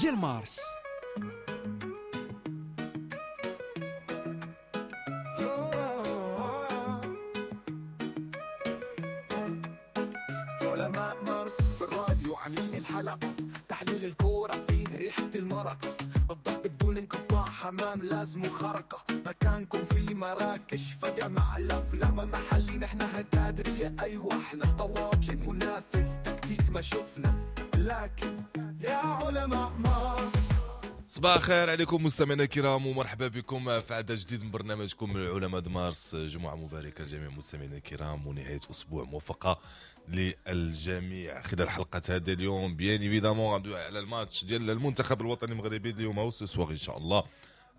ديال مارس. علماء مارس في الراديو عاملين الحلقة، تحليل الكورة فيه ريحة المرقة، الضحك بدون انقطاع، حمام لازم خرقة، مكانكم في مراكش فجأة مع الأفلام محلي، نحنا هكادرية أيوة احنا طواجن منافذ تكتيك ما شفنا، لكن يا علماء مارس. صباح الخير عليكم مستمعينا الكرام، ومرحبا بكم في عدد جديد من برنامجكم العلماء مارس. جمعة مباركة لجميع مستمعينا الكرام ونهاية أسبوع موفقة للجميع. خلال حلقة هذا اليوم bien évidemment غندوي على الماتش ديال المنتخب الوطني المغربي اليوم او ce soir ان شاء الله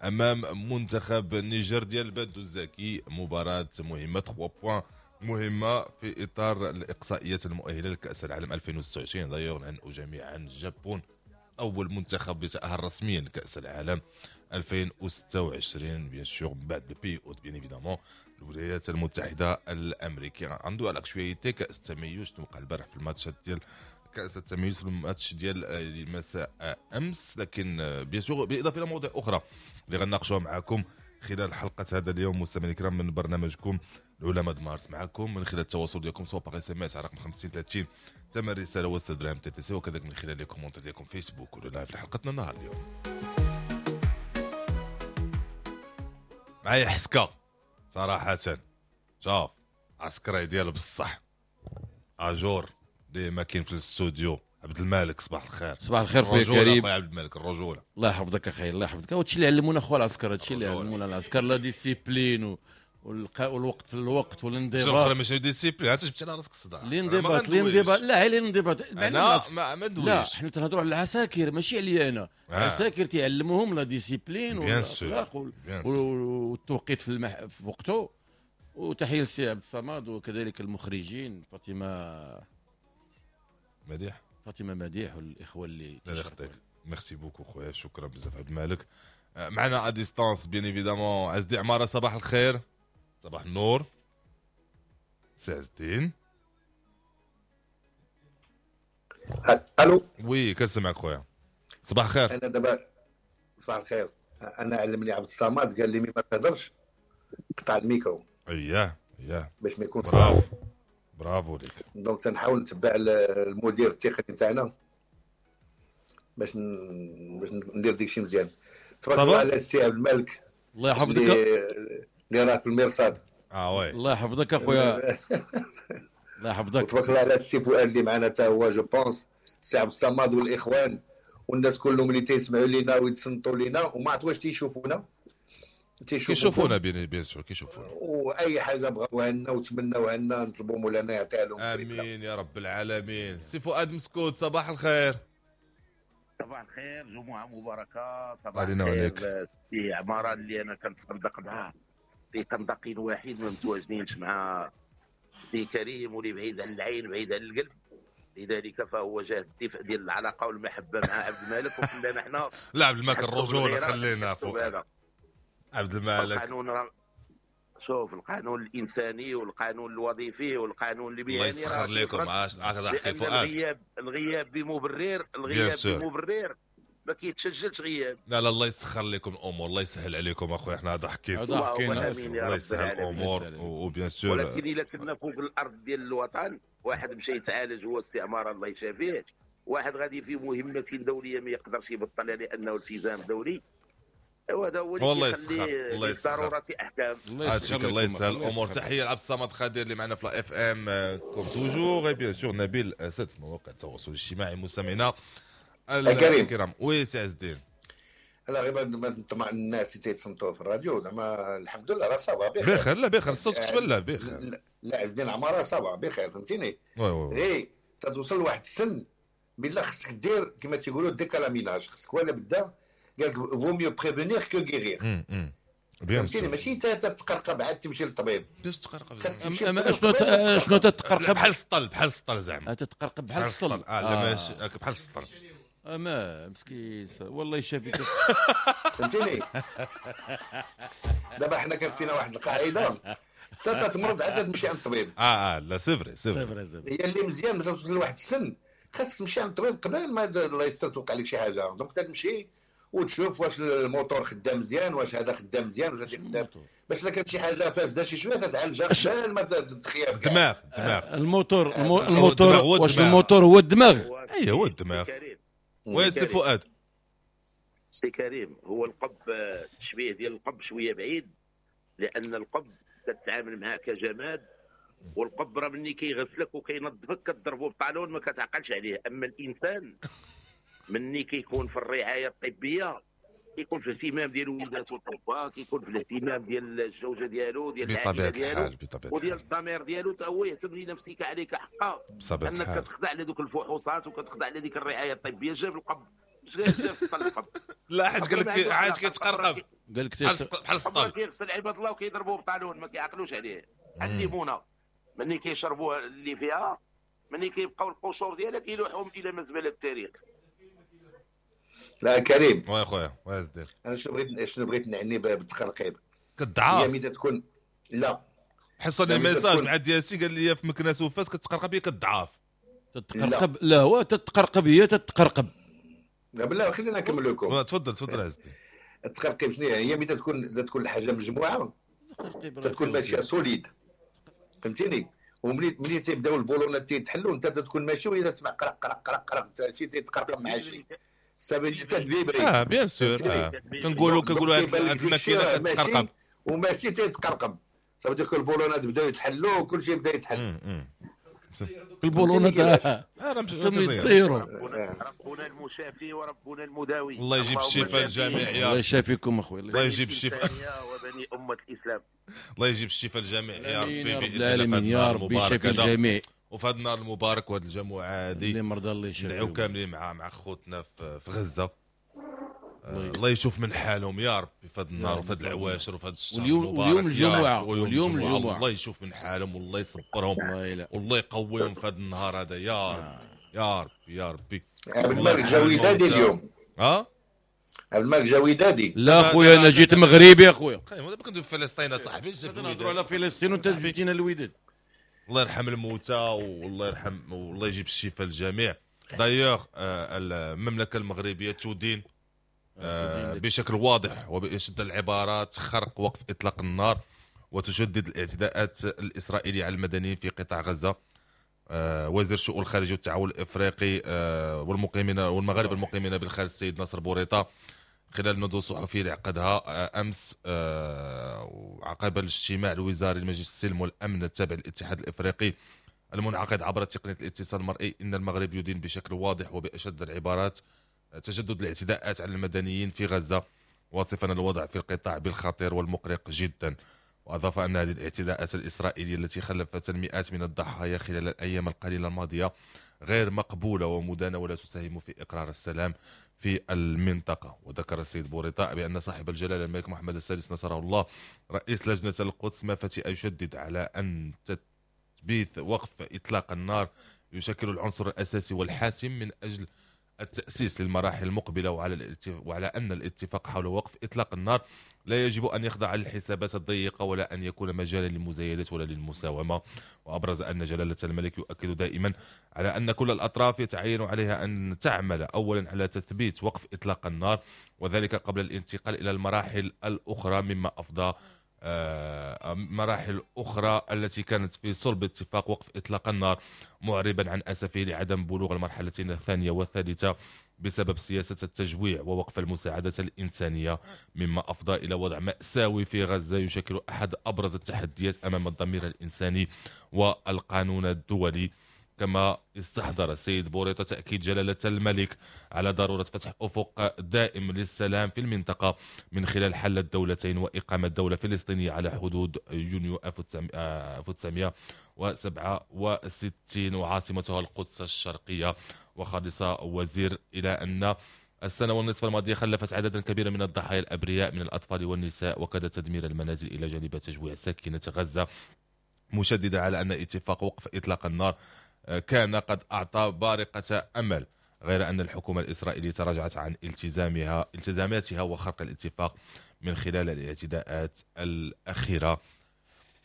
امام منتخب النيجر ديال بادو الزاكي، مباراة مهمة 3 points مهمة في إطار الإقصائيات المؤهلة لكأس العالم 2026. d'ailleurs نهنئوا جميعا الجابون، أول منتخب يتأهل رسميا لكأس العالم 2026 bien sûr من بعد le pays hôte bien évidemment الولايات المتحدة الأمريكية. عنده على l'actualité كأس التميز توقع البارح في الماتشات ديال كأس التميز في الماتش ديال مساء أمس، لكن bien sûr بالإضافة إلى مواضيع أخرى اللي غنناقشوها معكم خلال حلقة هذا اليوم مستمعينا الكرام من برنامجكم العلماء مارس، معكم من خلال التواصل ديالكم سواء par SMS على رقم 50 30 ثمن رسالة و6 دراهم TTC، وكذلك من خلال les commentaires ديالكم فيسبوك ولا live لحلقتنا النهار اليوم. معايا حسكه صراحة، شوف عسكري ديال بصح à jour ديما كاين في الاستوديو. عبد الملك صباح الخير. صباح الخير خويا كريم. عبد الملك الرجولة، الله يحفظك اخي، الله يحفظك. هادشي اللي علمونا خو العسكر، هادشي اللي علمونا العسكر، la discipline والوقت في الوقت والانضباط. ماشي discipline، انت جبت على راسك الصداع. الانضباط الانضباط، لا غير الانضباط. انا ما ندويش، لا حنا تنهضروا على العساكر ماشي عليا انا. العساكر تيعلموهم la discipline والاخلاق والتوقيت في وقته. وتحية للسي عبد الصمد وكذلك المخرجين فاطمة مديح، فاطمة مديح والاخوة اللي لا يخطيك. merci beaucoup خويا، شكرا بزاف عبد الملك. معنا à distance bien évidemment عز الدين عمارة. صباح الخير. صباح النور سي عز الدين. الو oui كنسمعك خويا، صباح الخير. انا دابا صباح الخير. انا علمني عبد الصمد قال لي ما تهضرش قطع الميكرو. اييه اييه باش ما يكون صعب. برافو ليك. donc تنحاول نتبع المدير التقني تاعنا باش ندير داكشي مزيان. تبارك الله على السي عبد الملك، الله يحفظك اللي راه في المرصاد. oui الله يحفظك اخويا، الله يحفظك. تبارك الله على السي فؤاد اللي معنا حتى هو، je pense السي عبد الصمد والاخوان والناس كلهم اللي تيسمعوا لينا ويتصنتوا لينا وما عرفت واش تيشوفونا. كيشوفونا bien sûr كيشوفونا، واي حاجة بغاوها لنا وتمناوها لنا نطلبوا مولانا يعطيها لهم. امين يا رب العالمين. سي فؤاد مسكوت صباح الخير. صباح الخير، جمعه مباركة. صباح الخير سي عمارة اللي انا كنتصدق معاه في خندق واحد، ما متواجدينش مع سي كريم واللي بعيد عن العين بعيد عن القلب، لذلك فهو جاه الدفء ديال العلاقة والمحبة مع عبد الملك وخلانا حنا. لا عبد الملك الرجولة خلينا فؤاد. عبد الملك القانون، شوف القانون الانساني والقانون الوظيفي والقانون المهني الله يسخر لكم. عاش احكي فؤاد. الغياب بمبرر، الغياب بمبرر ما كيتسجلش غياب. لا لا الله يسخر لكم الامور، الله يسهل عليكم اخويا. حنا ضحكين الله يسهل الامور و bien sûr. ولكن الا كنا فوق الارض ديال الوطن، واحد مشى يتعالج هو استعمار الله يشافيه، واحد غادي في مهمة دولية ما يقدرش يبطلها لانه التزام دولي، وهذا هو اللي كيخلي للضرورة احكام. الله يسهل الامور. تحية لعبد الصمد خادر اللي معنا في la FM comme toujours، bien sûr نبيل اسد في مواقع التواصل الاجتماعي. مستمعينا الكرام oui سي عز الدين، لا غير ما نطمع الناس اللي تيتصنتوا في الراديو زعما الحمد لله راه ça va بخير بخير. لا بخير الصوت كتبان بخير. لا عز الدين عمارة ça va بخير، فهمتيني. غير تتوصل لواحد السن بالله خصك دير كما تيقولوا décalage، خصك ولا بدا قال لك vaut mieux prévenir que guérir. فهمتيني، ماشي تتقرقب عاد تمشي للطبيب. باش تقرقب شنو تتقرقب؟ بحال السطل، بحال السطل زعما تتقرقب بحال السطل. لا ماشي بحال السطل. اما مسكين والله يشافيك. فهمتيني. دابا حنا كان فينا واحد القاعدة حتى تمرض عاد تمشي عند الطبيب. لا c'est vrai c'est vrai هي اللي مزيان باش توصل لواحد السن خاصك تمشي عند الطبيب قبل ما الله يستر توقع لك شي حاجة. donc تمشي وتشوف واش الموتور خدام مزيان، واش هذا خدام مزيان، واش هذا خدام، باش لا كانت شي حاجة فاسدة شي شوية تتعالجها قبل ما تخيب. الدماغ الموتور الموتور واش الموتور هو الدماغ؟ اي هو الدماغ. oui سي فؤاد. سي كريم، هو القب التشبيه ديال القب شوية بعيد، لان القب كتعامل معاه كجماد، والقب راه ملي كيغسلك وكينظفك كتضربو ب talon ما كتعقلش عليه. اما الانسان مني كيكون في الرعاية الطبية كيكون في الاهتمام ديال ولاداتو الطباء، كيكون في الاهتمام ديال الزوجة ديالو، ديال العائلة ديالو، وديال الضمير ديالو. حتى هو يهتم لنفسك عليك حقا، انك كتخضع لدوك الفحوصات وكتخضع لديك الرعاية الطبية. جاب القب جاب سطل القب. لا حيت قال لك عاد كيتقرقب، قال لك بحال السطل كيغسل عباد الله وكيضربوه ب talon ما كيعقلوش عليه. الليمونه ملي كيشربوها اللي فيها، ملي كيبقاو القشور ديالها كيلوحوهم الى مزبلة التاريخ. لا كريم، oui خويا واش دير؟ انا شنو بغيت نعني بالتقرقيب؟ كتضعف هي ملي تكون لا حصل لي message مع دياسي قال لي في مكناس وفاس كتقرقب هي كتضعف. تتقرقب؟ لا هو تتقرقب هي تتقرقب. لا بالله خلينا نكمل لكم. تفضل تفضل عزتي. التقرقيب شنو هي؟ هي ملي تكون الحاجة مجموعة تكون ماشية solide، فهمتيني؟ وملي تيبداو البولونات تيتحلوا انت تكون ماشي وهي تسمع قرق قرق قرق قرق شي تيتقرقب مع شي سابي تدبيبري. bien sûr كنقولوا هاد الماكينة كتقرقب وماشي تيتقرقب، صافي ديك البولونات بداو يتحلوا وكل شيء بدا يتحل. البولونات خصهم يتصيروا. ربنا المشافي وربنا المداوي. الله يجيب الشفاء للجميع يا الله يشافيكم اخويا. الله يجيب الشفاء وبني امه الاسلام. الله يجيب الشفاء للجميع يا ربي باذن الله يا ربي يشافي الجميع. وفي هذا النهار المبارك وهذه الجمعة هذه اللي مرضى الله يشافيهم، ندعيو كاملين مع خوتنا في غزة. الله يشوف من حالهم يا ربي في هذا النهار وفي هذه العواشر وفي هذا الشهر المبارك. واليوم الجمعة، واليوم الجمعة الله يشوف من حالهم والله يصبرهم والله يقويهم في هذا النهار هذا يا رب يا رب يا ربي. عبد الملك جا ودادي اليوم. ها عبد الملك جا ودادي. لا خويا انا جيت مغربي اخويا. دابا كندوي في فلسطين اصاحبي، نهضروا على فلسطين وانت جبتينا الوداد. الله يرحم الموتى والله يرحم والله يجيب الشفاء للجميع. دايوغ المملكة المغربية تدين بشكل واضح وبأشد العبارات خرق وقف إطلاق النار وتشدد الاعتداءات الإسرائيلية على المدنيين في قطاع غزة. وزير الشؤون الخارجية والتعاون الإفريقي والمقيمين والمغاربة المقيمين بالخارج السيد ناصر بوريطة خلال الندوة الصحفية اللي عقدها أمس عقب الاجتماع الوزاري لمجلس السلم والأمن التابع للاتحاد الإفريقي المنعقد عبر تقنية الاتصال المرئي، إن المغرب يدين بشكل واضح وبأشد العبارات تجدد الاعتداءات على المدنيين في غزة، واصفا الوضع في القطاع بالخطير والمقلق جدا. وأضاف أن هذه الاعتداءات الإسرائيلية التي خلفت المئات من الضحايا خلال الأيام القليلة الماضية غير مقبولة ومدانة ولا تساهم في إقرار السلام في المنطقة. وذكر السيد بوريطة بأن صاحب الجلالة الملك محمد السادس نصره الله رئيس لجنة القدس ما فتئ يشدد على أن تثبيت وقف إطلاق النار يشكل العنصر الأساسي والحاسم من أجل التأسيس للمراحل المقبلة، وعلى أن الاتفاق حول وقف إطلاق النار لا يجب أن يخضع للحسابات الضيقة ولا أن يكون مجالا للمزايدات ولا للمساومة. وأبرز أن جلالة الملك يؤكد دائما على أن كل الأطراف يتعين عليها أن تعمل أولا على تثبيت وقف إطلاق النار، وذلك قبل الانتقال إلى المراحل الأخرى، مما أفضى مراحل أخرى التي كانت في صلب اتفاق وقف إطلاق النار، معربا عن أسفه لعدم بلوغ المرحلتين الثانية والثالثة بسبب سياسة التجويع ووقف المساعدة الإنسانية، مما أفضى إلى وضع مأساوي في غزة يشكل أحد أبرز التحديات أمام الضمير الإنساني والقانون الدولي. كما استحضر السيد بوريطة تأكيد جلالة الملك على ضرورة فتح أفق دائم للسلام في المنطقة من خلال حل الدولتين وإقامة دولة فلسطينية على حدود يونيو 1967 وعاصمتها القدس الشرقية. وخلص وزير إلى أن السنة والنصف الماضية خلفت عددا كبيرا من الضحايا الأبرياء من الأطفال والنساء، وكاد تدمير المنازل إلى جانب تجويع ساكنة غزة، مشددة على أن اتفاق وقف إطلاق النار كان قد أعطى بارقة أمل، غير أن الحكومة الإسرائيلية تراجعت عن التزاماتها وخرق الاتفاق من خلال الاعتداءات الأخيرة.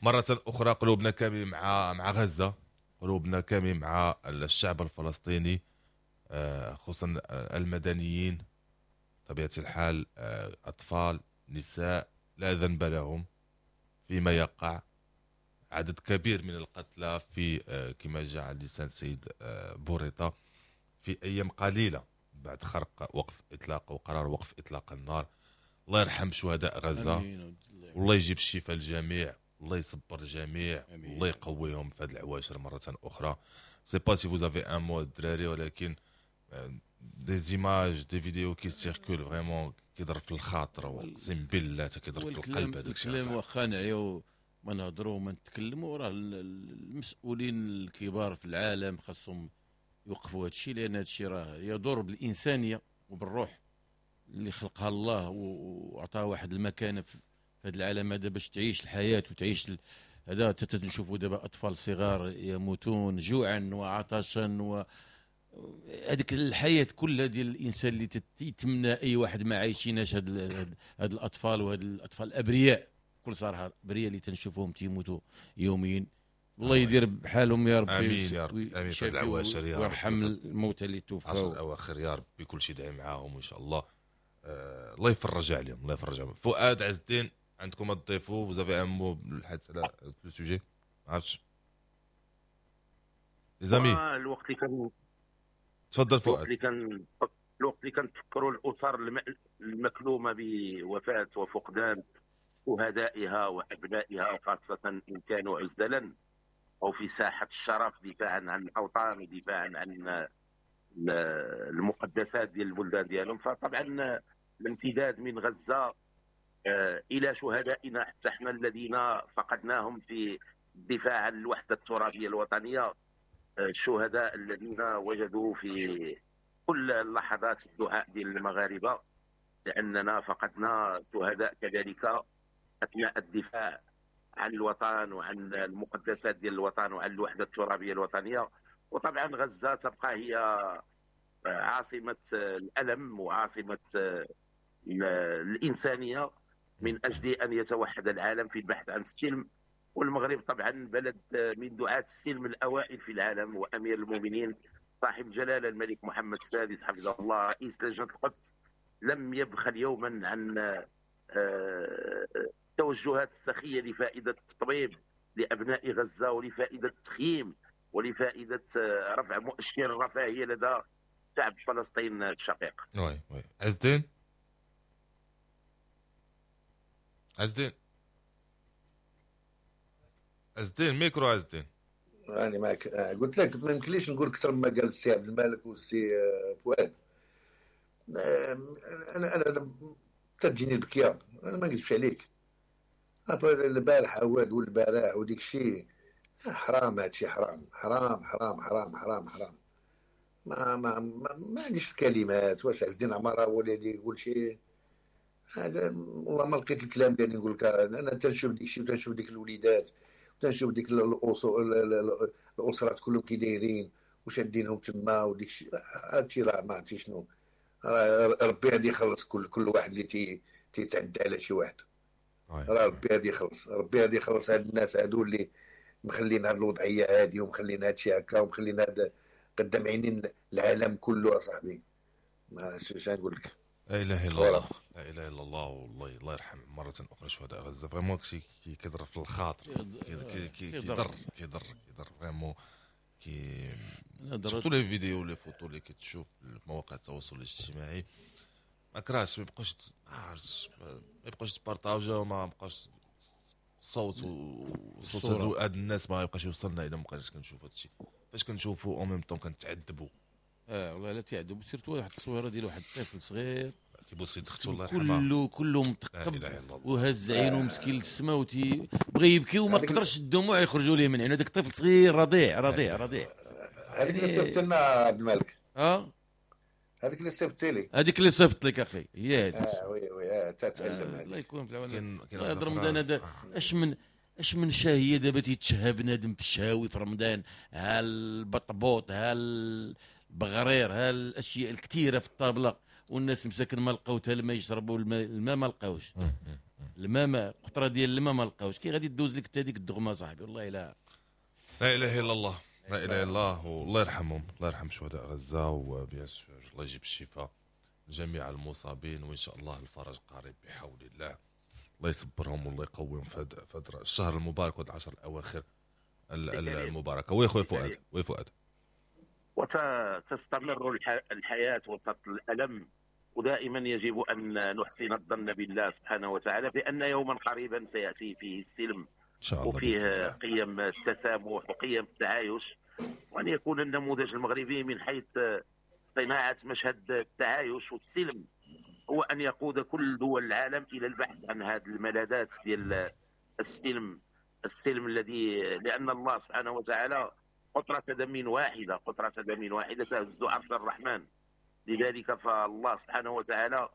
مرة أخرى قلوبنا كامل مع غزة، قلوبنا كامل مع الشعب الفلسطيني. خصوصا المدنيين طبيعة الحال، اطفال، نساء لا ذنب لهم فيما يقع. عدد كبير من القتلى في كما جاء على لسان سيد بوريطة في ايام قليله بعد خرق وقف اطلاق وقرار وقف اطلاق النار. الله يرحم شهداء غزة، والله يجيب الشفاء للجميع، الله يصبر الجميع، الله يقويهم في هذه العواشر مرة اخرى. sais pas si vous avez un mot الدراري، ولكن des images، des vidéos qui circulent، vraiment كيضر في الخاطر، اقسم بالله كيضر في القلب. هذاك الشيء الكلام واخا نعيو ما نهضروا وما نتكلموا، راه المسؤولين الكبار في العالم خاصهم يوقفوا هذا الشيء، لان هذا الشيء راه يضر بالانسانية وبالروح اللي خلقها الله وعطاها واحد المكانة في هذا العالم هذا باش تعيش الحياة وتعيش هذا. نشوفوا دابا اطفال صغار يموتون جوعا وعطشا، و هذيك الحياة كلها ديال الانسان اللي يتمنى اي واحد ما عايشيناش هاد الاطفال، وهاد الاطفال الابرياء، بكل صراحة ابرياء اللي تنشوفوهم تيموتوا يوميا. الله يدير بحالهم يا ربي. امين يا رب، امين في العواشر يا رب، ويرحم الموتى اللي توفوا. الاواخر يا ربي، كل شيء دعي معاهم ان شاء الله. الله يفرج عليهم، الله يفرج عليهم. فؤاد، عز الدين، عندكم تضيفوا؟ vous avez un mot بالحديث على le sujet؟ ما عرفتش les amis. الوقت اللي كان تفضل فؤاد. الوقت اللي كنتفكروا الاسر المكلومه بوفاة وفقدان شهدائها وابنائها، خاصة ان كانوا عزلا او في ساحة الشرف دفاعا عن الاوطان ودفاعا عن المقدسات ديال البلدان ديالهم، فطبعا الامتداد من غزة الى شهدائنا حتى احنا الذين فقدناهم في الدفاع عن الوحدة الترابيه الوطنيه، الشهداء الذين وجدوا في كل اللحظات الدعاء ديال المغاربه، لاننا فقدنا شهداء كذلك اثناء الدفاع عن الوطن وعن المقدسات ديال الوطن وعن الوحدة الترابيه الوطنية. وطبعا غزة تبقى هي عاصمة الالم وعاصمه الانسانية من اجل ان يتوحد العالم في البحث عن السلم. والمغرب طبعا بلد من دعاة السلم الاوائل في العالم، وامير المؤمنين صاحب الجلاله الملك محمد السادس حفظه الله رئيس لجنة القدس لم يبخل يوما عن التوجهات السخيه لفائدة التطبيب لابناء غزة ولفائده التخييم ولفائده رفع مؤشر الرفاهية لدى شعب فلسطين الشقيق. oui oui. عز الدين، عز الدين، عز الدين، ميكرو عز الدين. راني معك. قلت لك ما يمكنليش نقول اكثر مما قال السي عبد الملك والسي فؤاد. انا تجيني البكيه، انا ما نكذبش عليك. البارح عواد والبارح وديك الشيء حرام، هادشي حرام حرام حرام حرام حرام حرام. ما ما ما, ما عنديش الكلمات. واش عز الدين عمارة هو اللي يقول شي هذا؟ والله ما لقيت الكلام ديالي نقول لك. انا تنشوف ديك الشيء وتنشوف ديك الوليدات وتنشوف ديك الاسرات كلهم كي دايرين وشادينهم تما وديك الشيء. هادشي راه ما عرفتي شنو، راه ربي غادي يخلص كل واحد اللي تيتعدى على شي واحد. راه ربي غادي يخلص، ربي غادي يخلص هاد الناس هادو اللي مخلين هاد الوضعية هادي ومخلين هادشي هكا ومخلين هاد قدام عينين العالم كله. اصاحبي اش نقول لك؟ لا اله الا الله، لا اله الا الله. والله الله يرحم مرة اخرى شهداء غزة. vraiment شي كيضر في الخاطر، كيضر كيضر كيضر vraiment. كي surtout les vidéos، les photos اللي كتشوف في مواقع التواصل الاجتماعي، ما كرهتش ما يبقاوش ما يبقاوش تبارطاجا، ما بقاش الصوت وصوت هاد الناس ما يبقاش يوصلنا الا ما بقيناش كنشوف هادشي. فاش كنشوفو en même temps كنتعذبوا. والله لا تعذب، surtout واحد التصويره ديال واحد الطفل صغير كيبوس يد اختو الله يرحمها، كله متقب وهز عينه مسكين للسما وتي بغى يبكي وما قدرش الدموع يخرجوا ليه من عينه. هذاك الطفل صغير رضيع رضيع رضيع. هذيك اللي صيفط لنا عبد الملك، هذيك اللي صيفط لي، هذيك اللي صيفط لك اخي هي هذيك. oui oui تتعلم. الله يكون في العون. هذا رمضان هذا اش من شهية دابا تيتشهى بنادم في الشهاوي في رمضان، ها البطبوط، ها البغرير، ها الاشياء الكثيرة في الطابله، والناس مساكن ما لقاو حتى الماء يشربوا، الماء ما لقاوش، الماء ما قطرة ديال الماء ما لقاوش. كي غادي دوز لك حتى هذيك الدغمه صاحبي؟ والله لا لا اله الا الله. لا اله الا الله، والله يرحمهم، الله يرحم شهداء غزة، و bien sûr الله يجيب الشفاء لجميع المصابين، وان شاء الله الفرج قريب بحول الله. الله يصبرهم والله يقويهم في هذا الشهر المبارك وهذا العشر الاواخر المباركة. oui خويا فؤاد، oui فؤاد. وتستمر الحياة وسط الالم، ودائما يجب ان نحسن الظن بالله سبحانه وتعالى بان يوما قريبا سياتي فيه السلم إن شاء الله، وفيه قيم التسامح وقيم التعايش، وأن يكون النموذج المغربي من حيث صناعة مشهد التعايش والسلم هو أن يقود كل دول العالم إلى البحث عن هذه الملاذات ديال السلم، السلم الذي لأن الله سبحانه وتعالى قطرة دم واحدة، قطرة دم واحدة تهز عرش الرحمن. لذلك فالله سبحانه وتعالى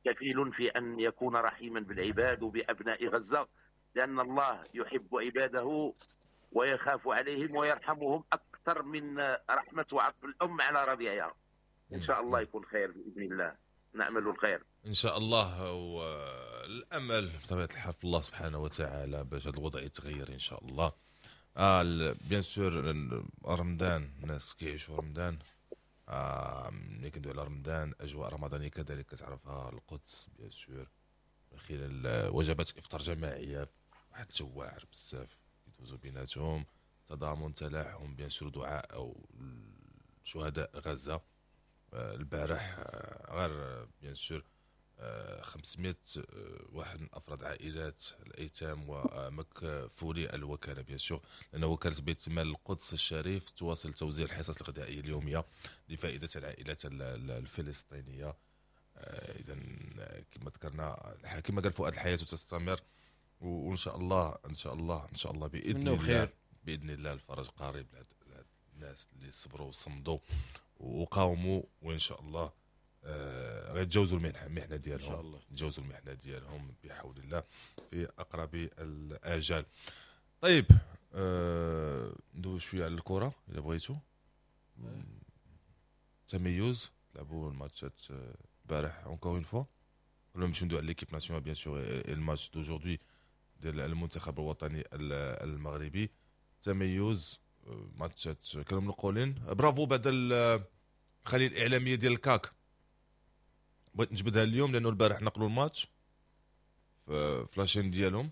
كفيل في أن يكون رحيما بالعباد وبأبناء غزة، لأن الله يحب عباده ويخاف عليهم ويرحمهم أكثر من رحمة وعطف الأم على رضيعها. إن شاء الله يكون خير بإذن الله، نأمل الخير إن شاء الله، والأمل بطبيعة الحال في الله سبحانه وتعالى باش هذا الوضع يتغير إن شاء الله. bien sûr رمضان، الناس كيعيشوا رمضان، ملي كندوي على رمضان أجواء رمضانية كذلك كتعرفها القدس bien sûr من خلال وجبات إفطار جماعية، واحد الجو واعر بزاف يدوزو بيناتهم، تضامن، تلاحم، bien sûr دعاء أو شهداء غزة. البارح غير bien sûr 500 واحد من أفراد عائلات الأيتام ومكفولي الوكالة bien sûr، لأن وكالة بيت مال القدس الشريف تواصل توزيع الحصص الغذائية اليومية لفائدة العائلات الفلسطينية. اذا كما ذكرنا، كما قال فؤاد، الحياة تستمر، وان شاء الله ان شاء الله ان شاء الله باذن الله باذن الله الفرج قريب لهاد الناس اللي صبروا وصمدوا وقاوموا، وان شاء الله غيتجاوزوا المحنة ديالهم ان شاء الله، يتجاوزوا المحنة ديالهم بحول الله في اقرب الاجال. طيب ندوي شوية على الكره الا بغيتو. تميز لعبوا الماتشات البارح encore une fois، ولا نمشيو ندوي على l'équipe nationale bien sûr الماتش d'aujourd'hui ديال المنتخب الوطني المغربي. تميز ماتشات كانوا منقولين، برافو بعد الخلية الاعلامية ديال الكاك، بغيت نجبدها اليوم لانه البارح نقلوا الماتش في la chaîne ديالهم،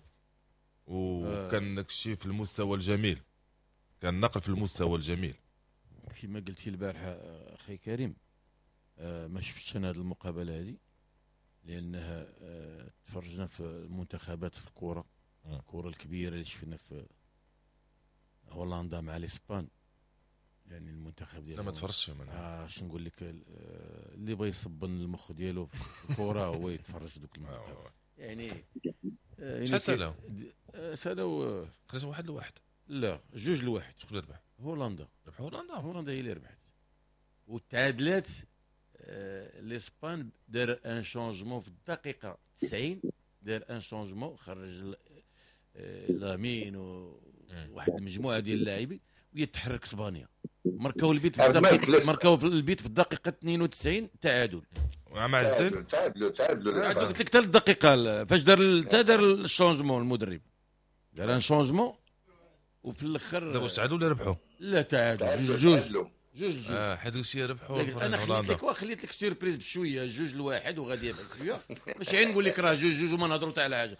وكان داكشي في المستوى الجميل، كان نقل في المستوى الجميل كما قلتي البارح اخي كريم. ما شفتش انا هذه المقابلة هذه لانها تفرجنا في المنتخبات في الكره، الكره الكبيرة اللي شفنا في هولندا مع الاسبان، يعني المنتخب ديال لا ما تفرجش منها. اش نقول لك، اللي بغى يصبن المخ ديالو في الكره هو يتفرج دوك المنتخب. يعني شحال سالاو؟ سالاو 1-1. لا 2-1. شكون اللي ربح؟ هولندا. ربح هولندا، هولندا هي اللي ربحت وتعادلات. الاسبان دار un changement في الدقيقة 90، دار un changement، خرج لامين وواحد المجموعة ديال اللاعبين ويتحرك اسبانيا، ماركاو البيت في الدقيقة، ماركاو البيت في الدقيقة 92 تعادل. مع تعادلوا تعادلوا قلت لك حتى الدقيقة فاش دار دار ال changement المدرب، دار un changement وفي الاخر دابا تعادلوا ولا ربحوا؟ لا تعادل جوج جوج. حيت قلتي ربحوا. انا خليت لك خليت لك surprise بشوية 2-1 وغادي بشوية، ماشي غير نقول لك راه 2-2 وما نهضروا حتى على حاجة.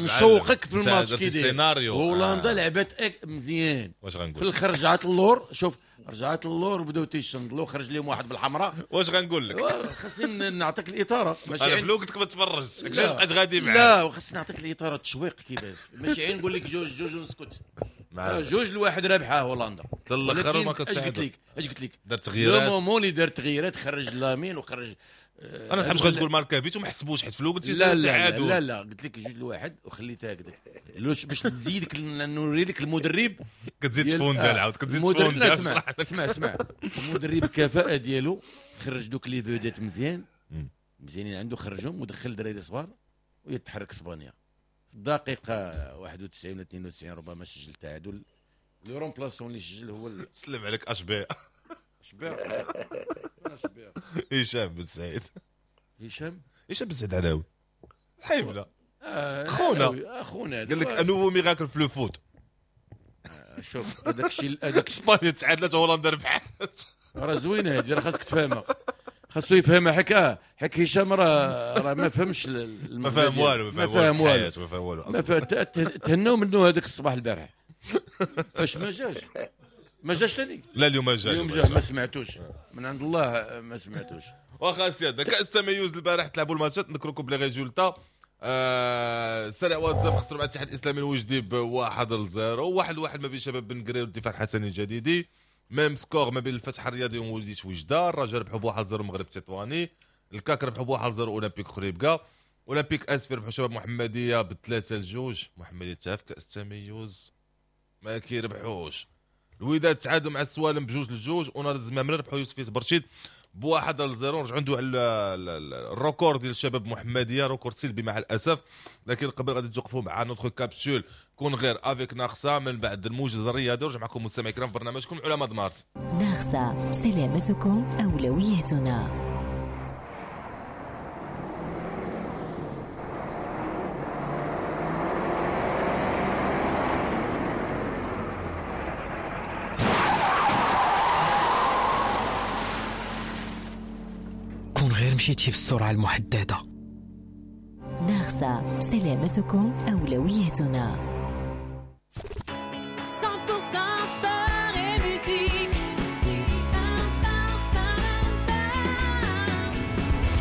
نشوقك في الماتش كي داير. هولندا لعبت مزيان، واش غنقول في الاخر رجعت اللور، شوف رجعت اللور وبداو تيشندلوا، خرج لهم واحد بالحمراء. واش غنقول لك؟ خاصني نعطيك الاطاره، ماشي انا بلو قلت لك ما تفرجش، علاش بقيت غادي معاك؟ لا خاصني نعطيك الاطاره التشويق كيفاش، ماشي غير نقول لك 2-2 ونسكت. 2-1 رابحه هولندا الاخر ما كتعادل. اش قلت لك؟ دار تغييرات، le moment اللي دار تغييرات، خرج لامين وخرج. انا سحبت غتقول ماركا بيت وما حسبوش، حيت في الاول قلت لا لا لا قلت لك 2-1 وخليتها هكذاك باش نزيدك نوري لك المدرب كتزيد تفوندال، عاود كتزيد تفوندال. اسمع اسمع اسمع، المدرب الكفاءة ديالو خرج دوك les vedettes مزيان مزيانين عنده، خرجهم ودخل دراري صغار ويتحرك اسبانيا في الدقيقة 91 ولا 92 ربما سجل تعادل. le remplaçant اللي سجل هو سلم عليك اشبيع اشبيع اشبيع هشام بن سعيد، هشام بن سعيد علاوي حيبله خونا خونا، قال لك un nouveau miracle في le foot. شوف هذاك الشيء، هذاك اسبانيا تعادلت، هولندا ربحت. راه زوينة هذه، راه خاصك تفهمها، خاصو يفهمها. حك هشام راه ما فهمش. ما فهم والو، ما فهم والو، ما فهم والو. تهناو منه هذاك الصباح البارح فاش ما جاش، ما جاش ثاني. لا اليوم جا، اليوم جا، ما سمعتوش من عند الله، ما سمعتوش. واخا سيادة كاس التميز البارح تلعبوا الماتشات، نذكركم ب les résultats. سريع واتزاب خسروا مع الاتحاد الاسلامي الوجدي ب 1-0، 1-1 ما بين شباب بن قرير والدفاع الحسني الجديدي، même score ما بين الفتح الرياضي ومولودية وجدة. الرجاء ربحوا ب 1-0 المغرب التطواني، الكاك ربحوا ب 1-0 اولمبيك خريبكا، اولمبيك اسفي ربحوا شباب محمديه ب 3-2. محمديه تا في كاس التميز ما كيربحوش. الوداد تعادلوا مع السوالم ب2-2، ونهضة الزمامرة ربحوا يوسف برشيد ب1-0. نرجعوا ندوي على ال record ديال الشباب محمديه، record سلبي مع الاسف، لكن قبل غادي توقفوا مع notre capsule كون غير avec ناخسا من بعد الموجز الرياضي. ورجع معكم مستمعي الكرام في برنامجكم علماء مارس. ناخسا، سلامتكم اولويتنا. مشيتي بالسرعة المحددة. ناخسا، سلامتكم أولويتنا. 100% sport et musique.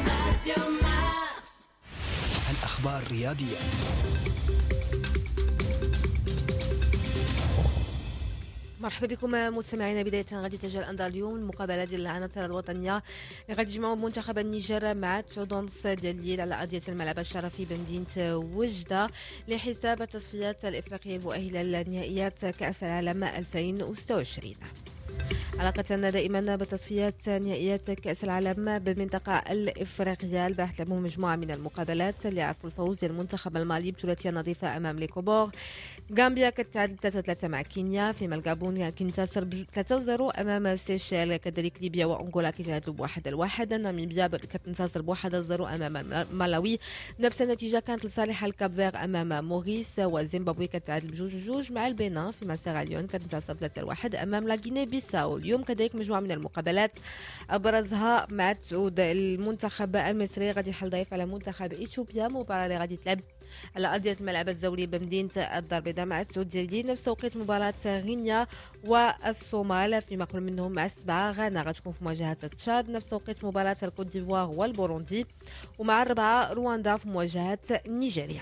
Radio Mars. الأخبار الرياضية. مرحبا بكم مستمعينا. بداية غادي تجي الأنظار اليوم المقابلة ديال العناصر الوطنية اللي غادي يجمعوا منتخب النيجر مع 9:30 ديال الليل على أرضية الملعب الشرفي بمدينة وجدة لحساب التصفيات الإفريقية المؤهلة لنهائيات كأس العالم 2026. علاقة دائما بتصفيات نهائيات كأس العالم بالمنطقة الإفريقية، البارح لعبوا مجموعة من المقابلات اللي عرفوا الفوز المنتخب المالي بثلاثية نظيفة أمام les Comores. غامبيا كتعادل 3-3 مع كينيا، فيما الغابون كينتصر 3-0 أمام سيشيل. كذلك ليبيا وأنغولا كيتعادلوا ب1-1. ناميبيا كتنتصر ب1-0 أمام مالاوي. نفس النتيجة كانت لصالح الكاب فير أمام موريس، وزيمبابوي كتعادل ب2-2 مع البنين، فيما سيراليون كتنتصر 3-1 أمام لا غيني بيساو. اليوم كذلك مجموعة من المقابلات أبرزها مع تعود المنتخب المصري غادي يحل ضيف على منتخب إثيوبيا، مباراة اللي غادي تلعب على أرضية الملعب الزولي بمدينة الدار البيضاء مع 9 ديال الليل. نفس توقيت مباراة غينيا والصومال، فيما قبل منهم مع 7 غانا غتكون في مواجهة تشاد. نفس توقيت مباراة الكوت ديفوار والبوروندي، ومع 4 رواندا في مواجهة نيجيريا.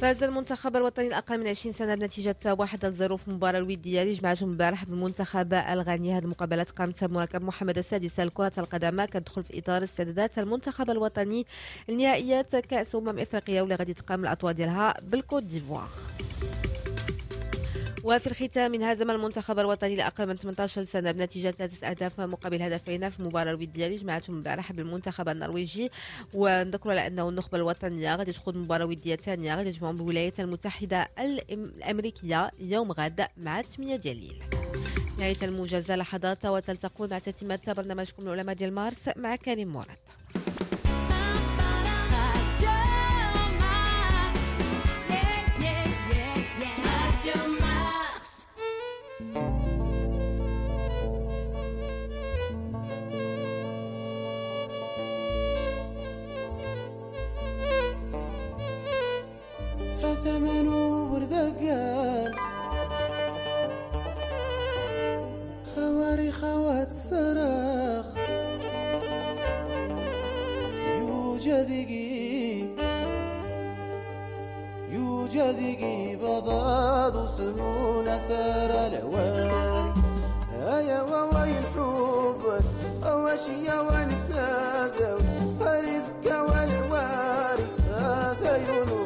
فاز المنتخب الوطني الأقل من 20 سنة بنتيجة 1-0 في المباراة الودية اللي جمعتهم البارح بالمنتخب الغاني. هذه المقابلات قامت بمركب محمد السادس لكرة القدم، كتدخل في إطار استعدادات المنتخب الوطني لنهائيات كأس أمم إفريقيا واللي غادي تقام الأطوار ديالها بالكوت ديفوار. وفي الختام انهزم المنتخب الوطني لأقل من 18 سنة بنتيجة 3 أهداف مقابل هدفين في المباراة الودية اللي جمعتهم البارح بالمنتخب النرويجي. ونذكر على أنه النخبة الوطنية غادي تخوض مباراة ودية ثانية غادي تجمعهم بالولايات المتحدة الأمريكية يوم غد مع 8 ديال الليل. نهاية الموجزة لحظات وتلتقون مع تتمة برنامجكم العلماء ديال مارس مع كريم مراد. ثمن وردقان خواري خوات صراخ يوجدقي بضاد وسمون سار العواري هيا ووي الحب أوشيا ونكساد فرزك والعواري هذا يونو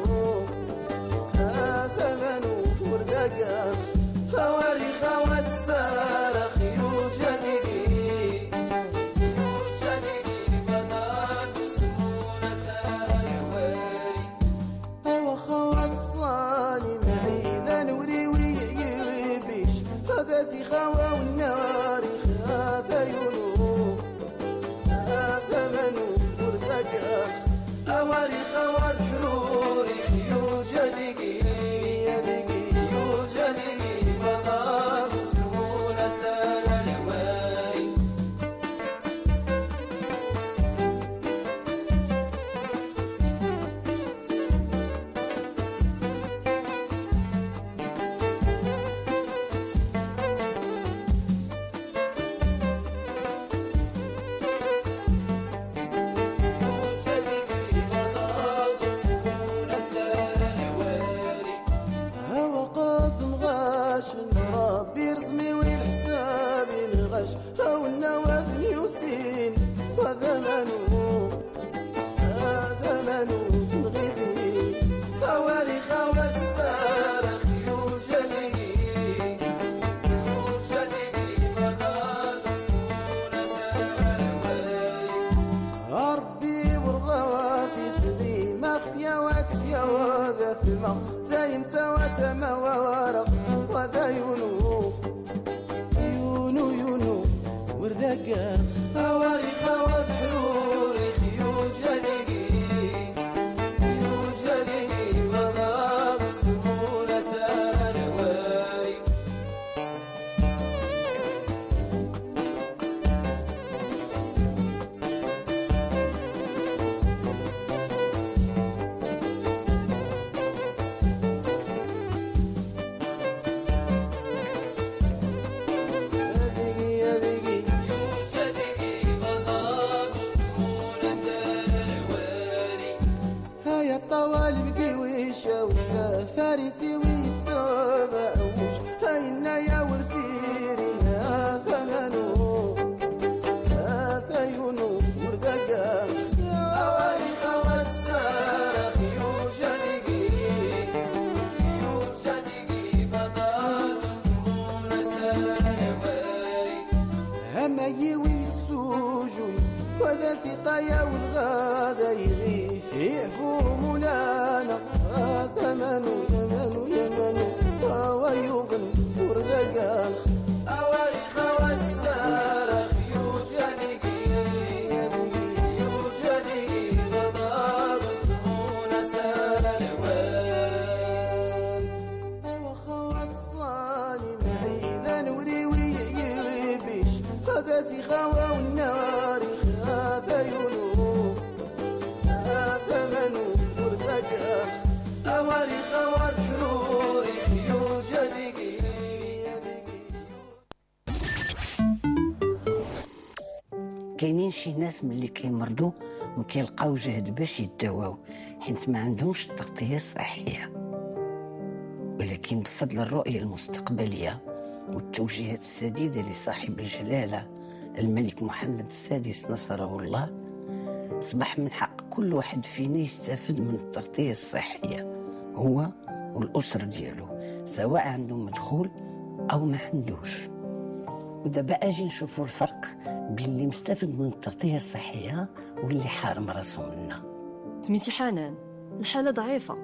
خواري خوات صارخ يوجدقي بنات سمون سار العواري هو خوات صاني معيدا نوري ويبيش هذا سي خوا والنار هذا يونو هذا منو وردقاخ خواري خوات حروري يوجدقي يوجدقي سقايا والغادا يغيث يعفو مولانا ثمن يمن يمن ويغن ورقال أواري خوات السارخ يوجدك يوجدك ضباب سمون سال العوال وخوات الصالي معي ذا نوري ويبيش هذا سخاوة والنار هذا ينو هذا منو ورزقك أواري خوات حروري يوجدك. كاينين شي ناس ملي كيمرضوا ما كيلقاو جهد باش يداواو حيت ما عندهمش التغطية الصحية، ولكن بفضل الرؤية المستقبلية والتوجيهات السديدة لصاحب الجلاله الملك محمد السادس نصره الله، اصبح من حق كل واحد فينا يستافد من التغطية الصحية هو والاسرة ديالو، سواء عنده مدخول او ما عندوش. ودابا اجي نشوفوا الفرق بين اللي مستافد من التغطية الصحية واللي حارم راسو منها. سميتي حنان، الحالة ضعيفة،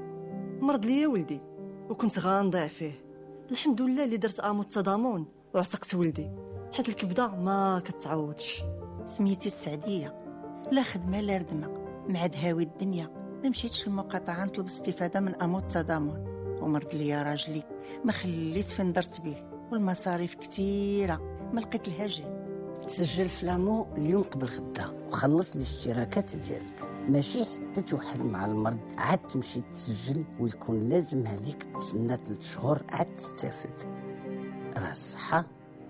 مرض ليا ولدي وكنت غنضيع فيه. الحمد لله اللي درت امو التضامن وعتقت ولدي، حيت الكبده ما كتعوضش. سميتي السعديه، لا خدمة لا ردمه، مع دهاوي الدنيا ما مشيتش للمقاطعه نطلب استفاده من امو التضامن، ومرض ليا راجلي ما خليت فين درت به، والمصاريف كثيرة ما لقيت لها جهد. تسجل في l'AMO اليوم قبل غدا وخلص الاشتراكات ديالك، ماشي حتى توحل مع المرض عاد تمشي تسجل ويكون لازم عليك تسنى 3 شهور عاد تستافد. راه الصحة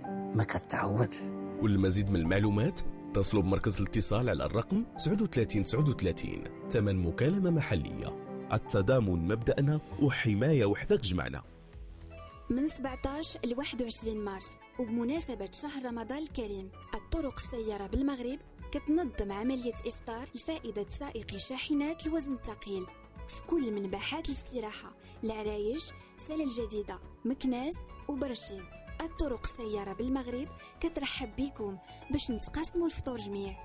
ما كتعوضش. والمزيد من المعلومات اتصلوا بمركز الاتصال على الرقم 39 39 ثمن مكالمة محلية. التضامن مبدأنا وحماية وحدك جمعنا. من 17 ل 21 مارس وبمناسبة شهر رمضان الكريم، الطرق السيارة بالمغرب كتنظم عملية إفطار لفائدة سائقي شاحنات الوزن الثقيل في كل من باحات الاستراحة العرايش، سلا الجديدة، مكناس وبرشيد. الطرق السيارة بالمغرب كترحب بكم باش نتقاسموا الفطور جميع.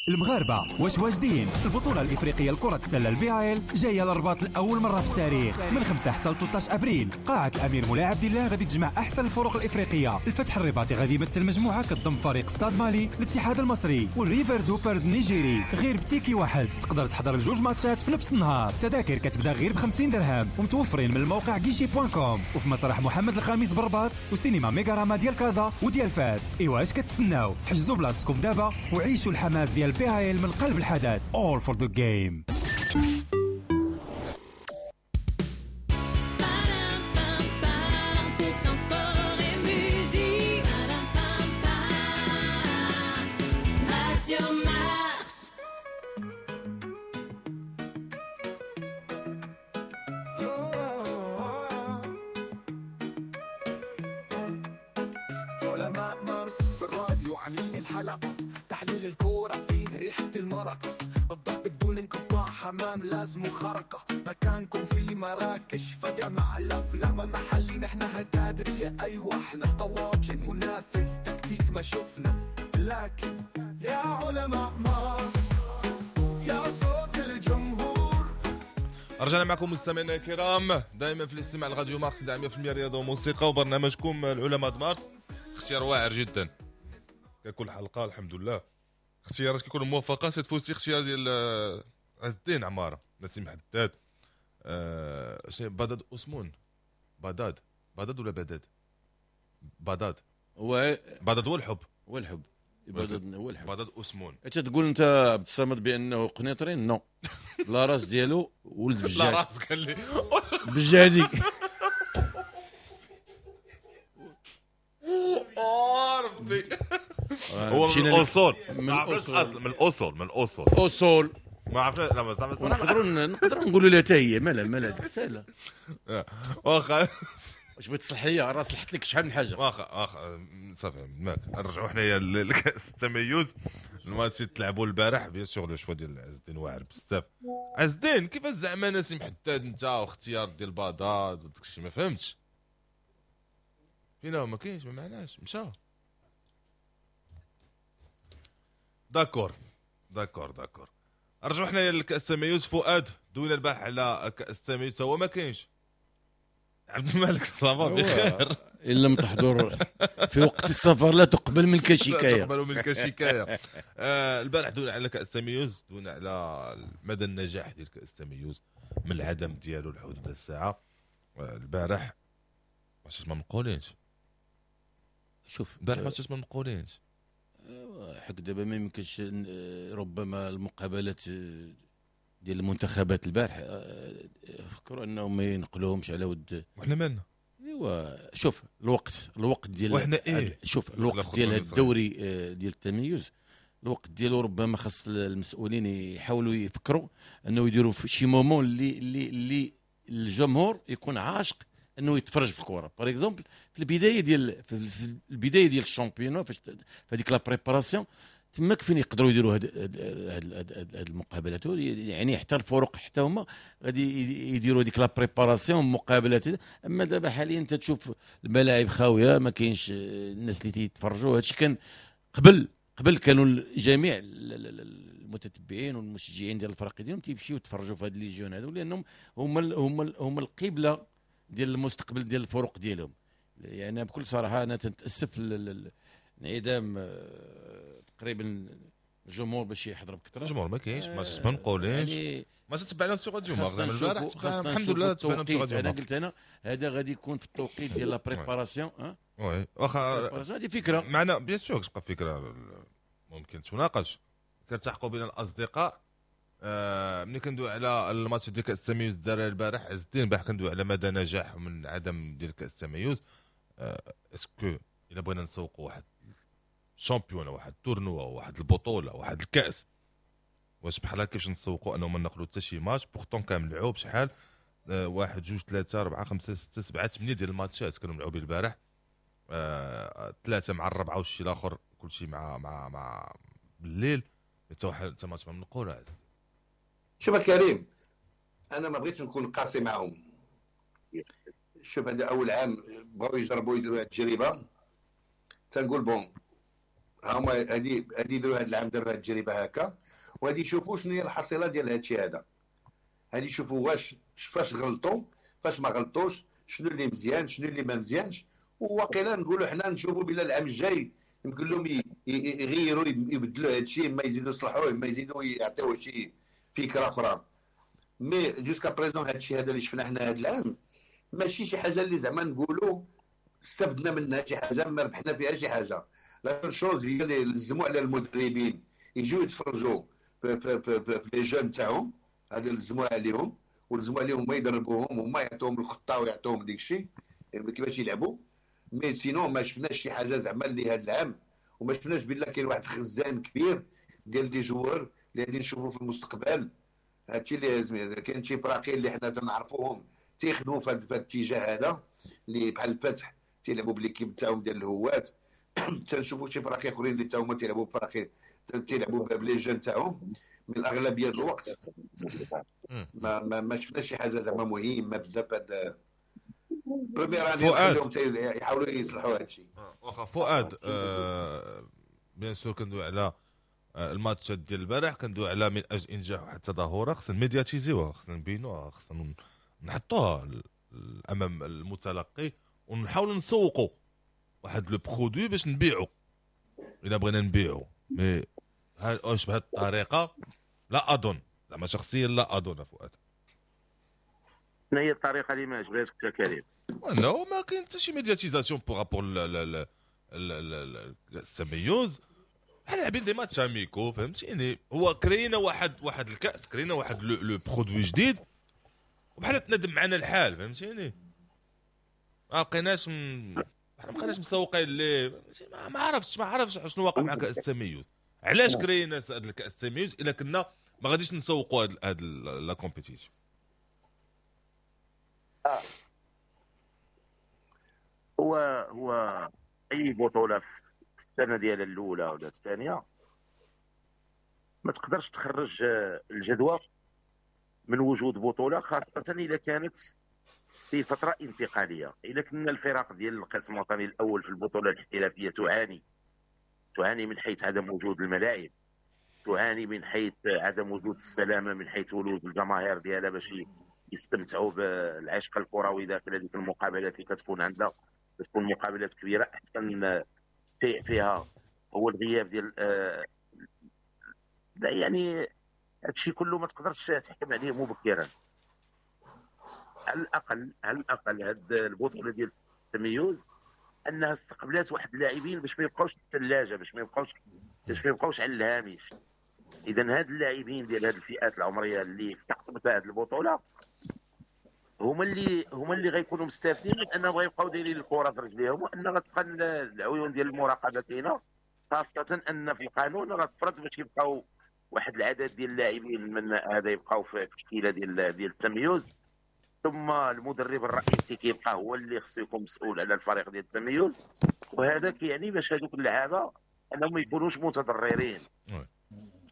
المغاربة واش واجدين؟ البطولة الإفريقية لكرة السلة ال BAL جاية للرباط لأول مرة في التاريخ من 5 حتى 13 أبريل. قاعة الأمير مولاي عبد الله غادي تجمع أحسن الفرق الإفريقية. الفتح الرباطي غادي يمثل مجموعة كتضم فريق ستاد مالي، الاتحاد المصري والريفرز هوبرز النيجيري. غير ب ticket واحد تقدر تحضر الجوج ماتشات في نفس النهار. تذاكر كتبدا غير ب 50 درهم ومتوفرين من الموقع guichet.com وفي مسرح محمد الخامس بالرباط وسينما ميغاراما ديال كازا وديال فاس. إيوا اش كتسناو؟ حجزوا بلاصتكم دابا وعيشوا الحماس ديال BAL من قلب الحدث. All for the game. علماء مارس في الراديو عاملين الحلقة، تحليل الكورة فيه ريحة المرقة، الضرب بدون انقطاع، حمام لازم خرقة، مكانكم في مراكش فجأة مع الأفلام محلي، نحن هتادرية أيوة احنا طواجن منافذ تكتيك ما شفنا، لكن يا علماء مارس يا صوت الجمهور. رجعنا معكم مستمعينا الكرام دائما في الاستماع لراديو مارس 100% رياضة وموسيقى وبرنامجكم العلماء مارس. اختيار واعر جدا ككل حلقة الحمد لله، اختيارات كيكونوا موفقة. cette fois-ci اختيار ديال عز الدين عمارة، نسيم حداد، شنو بداد اوسمون، بداد بداد ولا بداد بداد هو بداد هو الحب، هو الحب بداد هو الحب بداد اوسمون. انت تقول انت عبد الصمد بانه قنيطري؟ non، la race ديالو ولد بجادي. la race قال لي بجادي. ربي هو من الاصول، ما عرفناش الاصل، من الاصول، من الاصول اصول ما عرفنا. لا ما زعما نقدروا نقولوا لها حتى هي مالها مالها ديك السهلة. واخا واش بغيت تصلح ليا راه صلحت لك شحال من حاجة. واخا صافي ماك نرجعوا حنايا لكاس التميز. الماتش تلعبوا البارح bien sûr le choix ديال عز الدين واعر بزاف. عز الدين كيفاش زعما نسيم حداد انت واختيار ديال باداد وداك الشيء ما فهمتش فينا ما كاينش ما معناش مشى. d'accord d'accord d'accord. رجعوا حنايا لكاس التميز. فؤاد دوينا البارح على كاس التميز، هو ما كاينش. عبد الملك ça va بخير؟ ان لم تحضر في وقت السفر لا تقبل منك شكاية. لا تقبل منك شكاية. البارح دوينا على كاس التميز، دوينا على مدى النجاح ديال كاس التميز من العدم ديالو لحدود الساعة. البارح ماتشات ما منقولينش. شوف البارح ماتشات ما منقولينش حق دابا ما يمكنش. ربما المقابلات ديال المنتخبات البارح فكروا انهم ما ينقلوهمش على ود. وحنا مالنا؟ ايوا شوف الوقت ديال وحنا إيه؟ شوف الوقت ديال هذا الدوري ديال التميز، الوقت ديالو ربما خاص المسؤولين يحاولوا يفكروا انه يديروا في شي moment اللي الجمهور يكون عاشق انه يتفرج في الكره. par exemple في البداية ديال في البداية ديال ال championnat، فاش في هذيك la préparation تماك فين يقدروا يديروا هاد المقابلات، يعني حتى الفرق حتى هما غادي يديروا هذيك la préparation مقابلات. اما دابا حاليا انت تشوف الملاعب خاوية، ما كاينش الناس اللي تيتفرجوا. هادشي كان قبل كانوا جميع المتتبعين والمشجعين ديال الفرق ديالهم تيمشيو يتفرجوا في هاد les jeunes هادو، لانهم هما القبلة ديال المستقبل ديال الفرق ديالهم. يعني بكل صراحة انا تنتاسف انعدام تقريبا الجمهور باش يحضر بكثرة. الجمهور ما كاينش، ما نقولينش يعني ما تتبع لهم سي راديو البارح. الحمد لله تبعنا سي راديو. انا قلت انا هذا غادي يكون في التوقيت ديال la préparation. oui واخا هذه فكرة معنا bien sûr، تبقى فكرة ممكن تناقش. كنلتحقوا بين الاصدقاء. ملي كندوي على الماتش ديال كاس التميز دار البارح عز الدين، البارح كندوي على مدى نجاح من عدم ديال كاس التميز. est-ce que الا بغينا نسوقوا واحد championnat، واحد tournoi، واحد البطولة، واحد الكاس، واش بحال هكا كيفاش نسوقوا انه ما نقلوا حتى شي match؟ pourtant كان ملعوب شحال 1 2 3 4 5 6 7 8 ديال الماتشات كانوا ملعوبين البارح. 3 مع 4 والشيء الاخر كلشي مع مع مع بالليل. حتى واحد حتى ماتش ما منقول. شوف كريم، انا ما بغيتش نكون قاسي معهم. شوف هذا اول عام بغاو يجربوا يديروا هذه التجربة، تنقول bon هما هادي يديروا هذا العام، داروا هذه التجربة هكا، وغادي يشوفوا شنو هي الحصيلة ديال هذا الشيء هذا. غادي يشوفوا واش فاش غلطوا فاش ما غلطوش، شنو اللي مزيان شنو اللي ما مزيانش. وواقيلا نقولوا حنا نشوفوا بلا العام الجاي يمكن لهم يغيروا يبدلوا هذا الشيء، ما يزيدوا يصلحوه، ما يزيدوا يعطيوه شي فكرة اخرى. mais jusqu'à présent هذا الشيء هذا اللي شفنا حنا هذا العام ماشي شي حاجة اللي زعما نقولوا استفدنا منها شي حاجة، ما ربحنا فيها شي حاجة. la chose هي اللي لزموا على المدربين يجيو يتفرجوا في les jeunes تاعهم، هذا لزموا عليهم، ولزموا عليهم ما يدربوهم وما يعطوهم الخطة ويعطوهم ديك الشيء كيفاش يلعبوا. mais sinon ما شفناش شي حاجة زعما اللي هذا العام، وما شفناش بلا كاين واحد الخزان كبير ديال des joueurs اللي غادي نشوفوا في المستقبل. هادشي اللي لازم. كاين شي فراقي اللي حنا تنعرفوهم تيخدموا في هذا الاتجاه هذا، اللي بحال الفتح تيلعبوا ب l'équipe تاعهم ديال الهوات. تنشوفوا شي فراقي اخرين اللي تاهما تيلعبوا بفراقي تيلعبوا ب les jeunes تاعهم. من الاغلبية ديال الوقت ما ما شفناش شي حاجة زعما مهمة بزاف. هاد première année خليهم يحاولوا يصلحوا هذا الشيء. واخا فؤاد، bien sûr كندوي على الماتش ديال البارح، كندوي على من اجل انجاح واحد التظاهرة خصنا ميدياتيزيوها، خصنا نبينوها، خصنا نحطوها امام المتلقي، ونحاولوا نسوقوا واحد le produit باش نبيعو الا بغينا نبيعو. mais واش بهذه الطريقة؟ لا اظن، زعما شخصيا لا اظن فؤاد. شنو هي الطريقة اللي ما عجباتكش يا كريم؟ non ما كاين حتى شي médiatisation par rapport التميز. بحال لاعبين des matchs amicaux، فهمتيني؟ هو كرينا واحد الكاس، كرينا واحد le produit جديد، وبحال تندم معنا الحال، فهمتيني؟ ما بقيناش مسوقين ليه. ما عرفتش شنو واقع مع كاس التميز. علاش كرينا هذا الكاس التميز الا كنا ما غاديش نسوقوا هاد la compétition؟ هو اي بطوله في السنة ديال الاولى ولا الثانية ما تقدرش تخرج الجدوى من وجود بطوله، خاصة اذا كانت في فترة انتقالية. اذا كنا الفرق ديال القسم الوطني الاول في البطولة الاحترافية تعاني من حيث عدم وجود الملاعب، تعاني من حيث عدم وجود السلامة، من حيث ولوج الجماهير ديالها باش يستمتعوا بالعشق الكروي داخل هذيك المقابلات اللي كتكون عندها، كتكون مقابلات كبيرة. احسن شيء فيها هو الغياب ديال يعني هادشي كله ما تقدرش تحكم عليه مبكرا. على الاقل هاد البطولة ديال التميز انها استقبلات واحد اللاعبين باش ما يبقاوش في الثلاجة، باش ما يبقاوش على الهامش. اذا هاد اللاعبين ديال هاد الفئات العمرية اللي استقطبتها هاد البطولة هما اللي غيكونوا مستافدين من انهم غيبقاو دايرين الكره في رجليهم، وان غتبقى العيون ديال المراقبة كاينه، خاصة ان في القانون راه تفرض باش يبقاو واحد العدد ديال اللاعبين من هذا يبقاو في التشكيلة ديال التميز، ثم المدرب الرئيسي كيبقى هو اللي خصو يكون مسؤول على الفريق ديال التميز، وهذا كيعني باش هذوك اللعابه انهم ما يكونوش متضررين.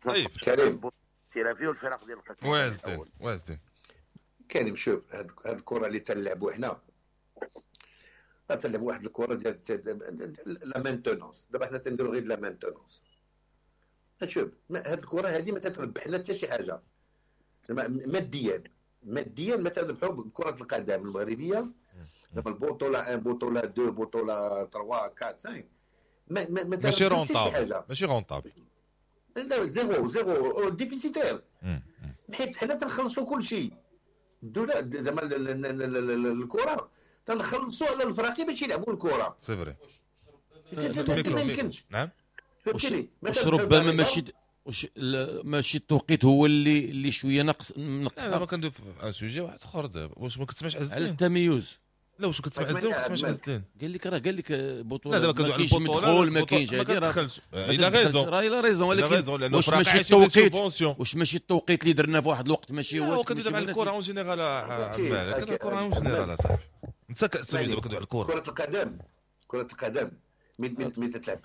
طيب كريم الاحترافي والفرق ديال القسم وازدين كريم، شوف هاد الكره اللي تنلعبوا حنا تنلعبوا واحد الكره ديال la maintenance. دابا حنا تنديروا غير la maintenance. شوف هاد الكره هادي ما تتربحنا حتى شي حاجة ماديا ما تربحوا بكره القدم المغربية. دابا البطولة 1 بطوله 2 بطوله 3 4 5 ما ماشي rentable، ماشي rentable، لا zéro déficitaire، حيت حنا تنخلصوا كل شيء. الدولة زعما الكره تنخلصوا على الفراقي باش يلعبوا الكره. c'est vrai ما يمكنش. نعم فهمتيني. ربما ماشي التوقيت هو اللي شوية نقص. لا ما كندوي في un sujet واحد اخر دابا. واش ما كتسمعش عز الدين على التميز؟ لا واش كتسمع عز الدين؟ ما كتسمعش عز الدين. قال لك بطوله ما كاينش مدخول، ما كاينش هادي، راه il a raison، راه il a raison. ولكن واش ماشي التوقيت، واش ماشي التوقيت اللي درنا في واحد الوقت ماشي هو كندوي على الكره en général. عمال الكره en général صاحبي، انت كتسمع دابا كندوي على الكره، كره القدم من تتلعب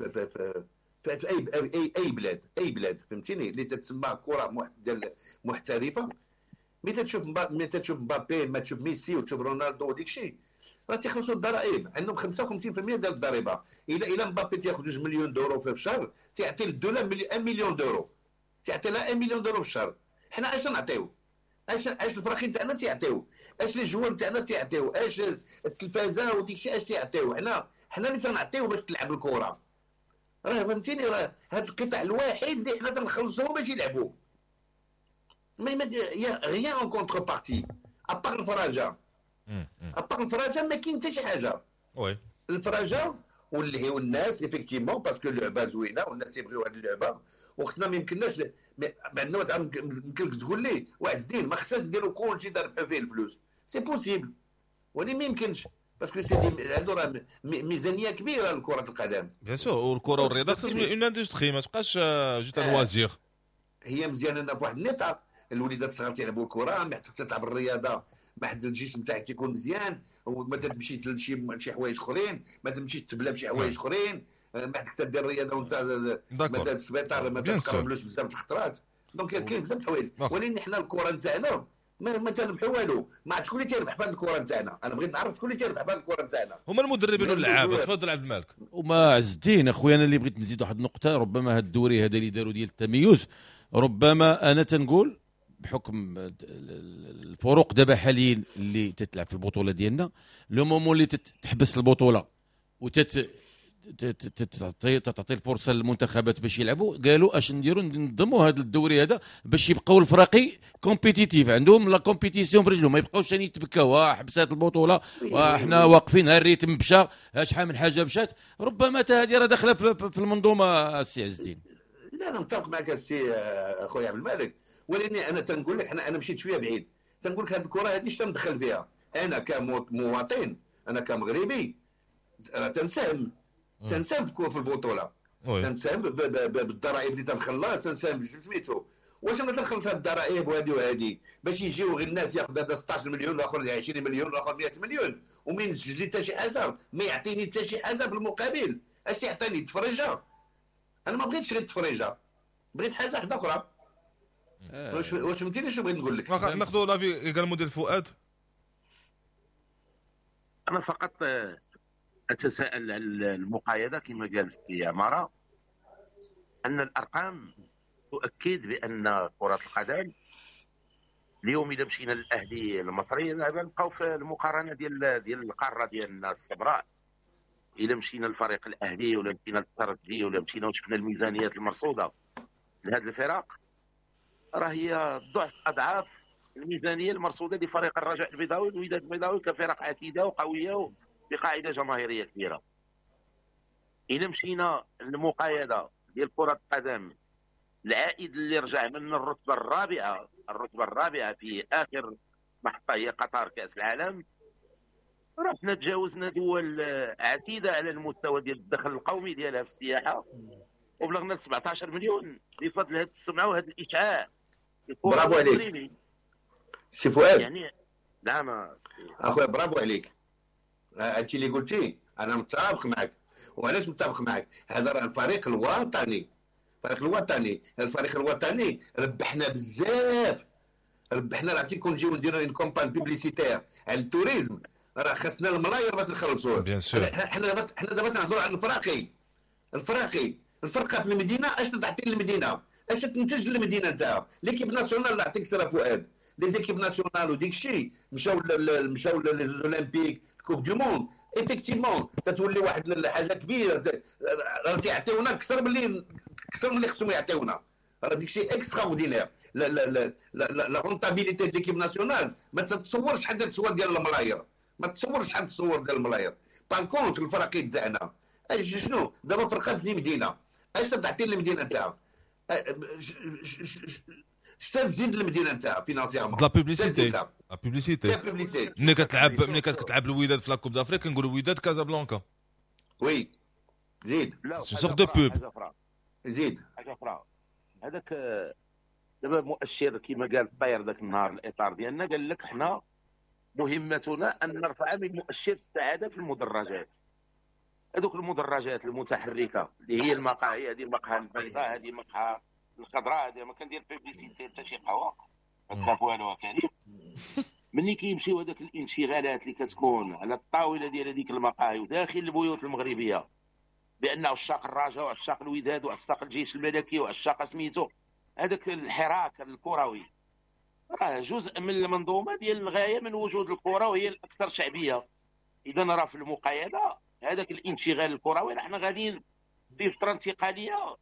في اي اي بلاد، اي بلاد فهمتيني، اللي تتسمى كره ديال محترفه. ملي تشوف مبابي، ما تشوف ميسي وتشوف رونالدو وديك الشيء، راه تيخلصوا الضرائب، عندهم 55% ديال الضريبة. الى مبابي تياخذ 2 مليون d'euros في الشهر، تيعطي للدولة 1 مليون d'euros، تيعطي لها 1 مليون d'euros في الشهر. حنا اش نعطيو؟ اش الفراقين تاعنا تيعطيو؟ اش les joueurs تاعنا تيعطيو؟ اش التلفازه وديك الشيء اش تيعطيو؟ حنا اللي تنعطيو باش تلعب الكره. راه فهمتيني، راه هذا القطاع الوحيد اللي حنا تنخلصوه باش يلعبوا. mais y a rien en contrepartie à part الفراجه. à part الفراجه ما كاين حتى شي حاجة. oui الفراجه واللي هو الناس effectivement parce que اللعبة زوينة والناس تيبغيو هذه اللعبة، وخصنا ما يمكنناش عندنا يمكن لك تقول لي واحد الدين ما خصناش نديرو كلشي نربحو فيه الفلوس، c'est possible، ولكن ما يمكنش parce que c'est عنده راه ميزانية كبيرة لكرة القدم. bien sûr، والكره والرياضة خصها تولي une industrie، ما تبقاش juste loisir. هي مزيانه لنا بواحد النطاق، الوليدات الصغار تيلعبوا الكره، ما حتى تلعب الرياضة، ما حد الجسم تاعك تيكون مزيان، وما تمشي لشي حوايج اخرين، ما تمشيش تبلا بشي حوايج اخرين، ما حدك تدير الرياضة وانت ما السبيطار ما تقربلوش بزاف الخطرات. donc كاين بزاف الحوايج، ولكن حنا الكره نتاعنا ما تنربحوا والو. ما عرفت شكون اللي تيربح في هذه الكره نتاعنا، انا بغيت نعرف شكون اللي تيربح في هذه الكره نتاعنا. هما المدربين واللعابه. تفضل عبد الملك. وما عز الدين اخويا، انا اللي بغيت نزيد واحد النقطة، ربما هذا الدوري هذا اللي داروا ديال التميز، ربما انا تنقول بحكم الفروق دابا حاليا اللي تتلعب في البطولة ديالنا، le moment اللي تحبس البطولة وتت تعطي الفرصة للمنتخبات باش يلعبوا، قالوا اش نديروا؟ ننظموا هذا الدوري هذا باش يبقاو الفراقي compétitifs، عندهم la compétition في رجلهم، ما يبقاوش ثاني يتبكاو حبسات البطولة وحنا واقفين، ها ال rythme مشى، ها شحال من حاجة مشات. ربما حتى هذه راه داخله في المنظومة السي عز الدين. لا انا متفق معك السي اخويا عبد الملك، ولكن انا تنقول لك انا مشيت شوية بعيد، تنقول لك هذه الكره هذه اش تندخل فيها انا كمواطن، انا كمغربي راه تنساهم في البطولة، تنساهم بالضرائب اللي تنخلص، تنساهم سميتو. واش انا تنخلص هاد الضرائب وهادي وهادي باش يجيو غير الناس ياخذ هذا 16 مليون والاخر 20 مليون والاخر 100 مليون، وما ينتج لي حتى شي حاجة، ما يعطيني حتى شي حاجة بالمقابل. اش تيعطيني؟ تفريجه. انا ما بغيتش غير التفريجه، بغيت حاجة واحدة اخرى. واش فهمتيني شنو بغيت نقول لك؟ ناخذوا l'avis également ديال فؤاد. انا فقط اتساءل على المقايضة كما قال السي عمارة، ان الارقام تؤكد بان كره القدم اليوم اذا مشينا للاهلي المصري نبقاو في المقارنة ديال القارة ديالنا السمراء. الا مشينا للفريق الاهلي ولا مشينا للترجي ولا مشينا وشفنا الميزانيات المرصوده لهذه الفرق، راه هي ضعف اضعاف الميزانية المرصوده لفريق الرجاء البيضاوي والوداد البيضاوي كفرق عتيده وقويه بقاعدة جماهيرية كبيرة. الا مشينا للمقايضه ديال كره القدم، العائد اللي رجع من الرتبة الرابعة في اخر محطة هي قطر كاس العالم، رحنا تجاوزنا دول عتيده على المستوى ديال الدخل القومي ديالها في السياحة، وبلغنا 17 مليون بفضل هذه السمعة وهذا الاشعاع. برافو عليك سي فؤاد. يعني نعم اخويا، برافو عليك، هادشي اللي قلتي انا متفق معك. وعلاش متفق معك؟ هذا راه الفريق الوطني، الفريق الوطني ربحنا بزاف، ربحنا. راه كون نجيو نديرو une campagne publicitaire على ال tourisme راه خاصنا الملاير باش نخلصوه. حنا دابا تنهضروا على الفراقي، الفرقة في المدينة اش تعطي للمدينة، اش تنتج للمدينة نتاعها. l'équipe nationale اللي عطيك سير فؤاد، les équipes nationales وديك الشيء مشاو les olympiques، coupe du monde، effectivement تتولي واحد الحاجة كبيرة. راه تيعطيونا اكثر من اللي خصهم يعطيونا. راه ديك الشيء extraordinaire. la la la la rentabilité ديال l'équipe nationale ما تتصورش شحال تصور ديال الملاير، ما تصورش شحال تصور ديال الملاير. par contre الفرق تاعنا شنو دابا؟ فرقه في المدينة اش تعطي للمدينة نتاعها؟ اش تزيد للمدينة نتاعها financièrement؟ la publicité، la publicité. ملي كتلعب الوداد في la Coupe d'Afrique كنقولوا وداد كازابلانكا. oui زيد c'est sorte de pub. زيد حاجة اخرى، هذاك دابا مؤشر كما قال الطير ذاك النهار الاطار ديالنا، قال لك حنا مهمتنا ان نرفع من مؤشر السعادة في المدرجات. هذوك المدرجات المتحركة اللي هي المقاهي، هذه المقهى البيضاء، هذه المقهى الخضراء، هذه ما كندير publicité حتى شي قهوة ما والو كريم. ملي كيمشيو هذاك الانشغالات اللي كتكون على الطاولة ديال هذيك المقاهي وداخل البيوت المغربية بان عشاق الرجاء وعشاق الوداد وعشاق الجيش الملكي وعشاق سميتو، هذاك الحراك الكروي راه جزء من المنظومة ديال الغاية من وجود الكره وهي الاكثر شعبية. اذا راه في المقايضة هذاك الانشغال الكروي راه حنا غاديين في فترة انتقالية.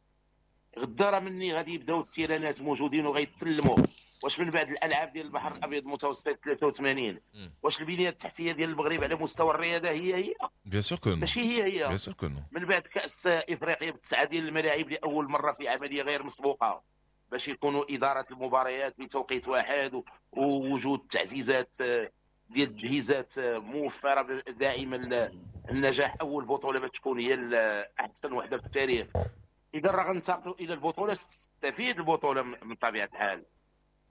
غدا راه مني غادي يبداو التيرانات موجودين وغيتسلموا. واش من بعد الالعاب ديال البحر الابيض المتوسط 83 واش البنية التحتية ديال المغرب على مستوى الرياضة هي هي؟ bien sûr que non، ماشي هي هي. bien sûr que non. من بعد كاس افريقيا بتسعة ديال الملاعب لاول مرة في عملية غير مسبوقة باش يكونوا ادارة المباريات بتوقيت واحد ووجود تعزيزات ديال التجهيزات موفره دائما النجاح. اول بطوله باش تكون هي احسن وحده في التاريخ. اذا راه غننتقلوا الى البطولة، ستستفيد البطولة من طبيعة الحال،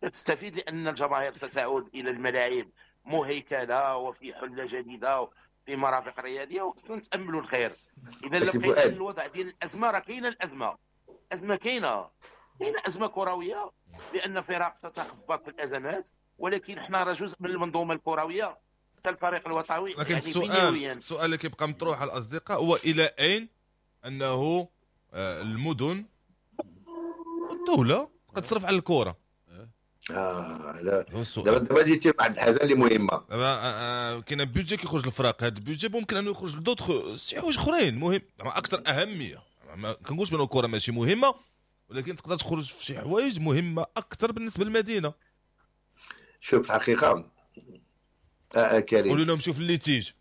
تستفيد لان الجماهير ستعود الى الملاعب مهيكله وفي حله جديدة وفي مرافق رياضية، وخصنا نتاملوا الخير. اذا لو بقينا الوضع ديال الازمة راه كاينه الازمة، ازمة كاينه ازمة كروية لان فرق تتخبط في الازمات، ولكن حنا راه جزء من المنظومة الكروية حتى الفريق الوطني. لكن يعني السؤال اللي كيبقى مطروح على الاصدقاء هو الى اين انه المدن والدولة كتصرف على الكره؟ لا دابا جيتي واحد الحاجة اللي مهمة. دابا كاين budget كيخرج للفرق، هذا ال budget ممكن انه يخرج ل d'autres شي حوايج اخرين مهم اكثر اهمية. ما كنقولش بان الكره ماشي مهمة، ولكن تقدر تخرج في شي حوايج مهمة اكثر بالنسبة للمدينة. شوف الحقيقة كريم، قولوا لهم شوف ال litige.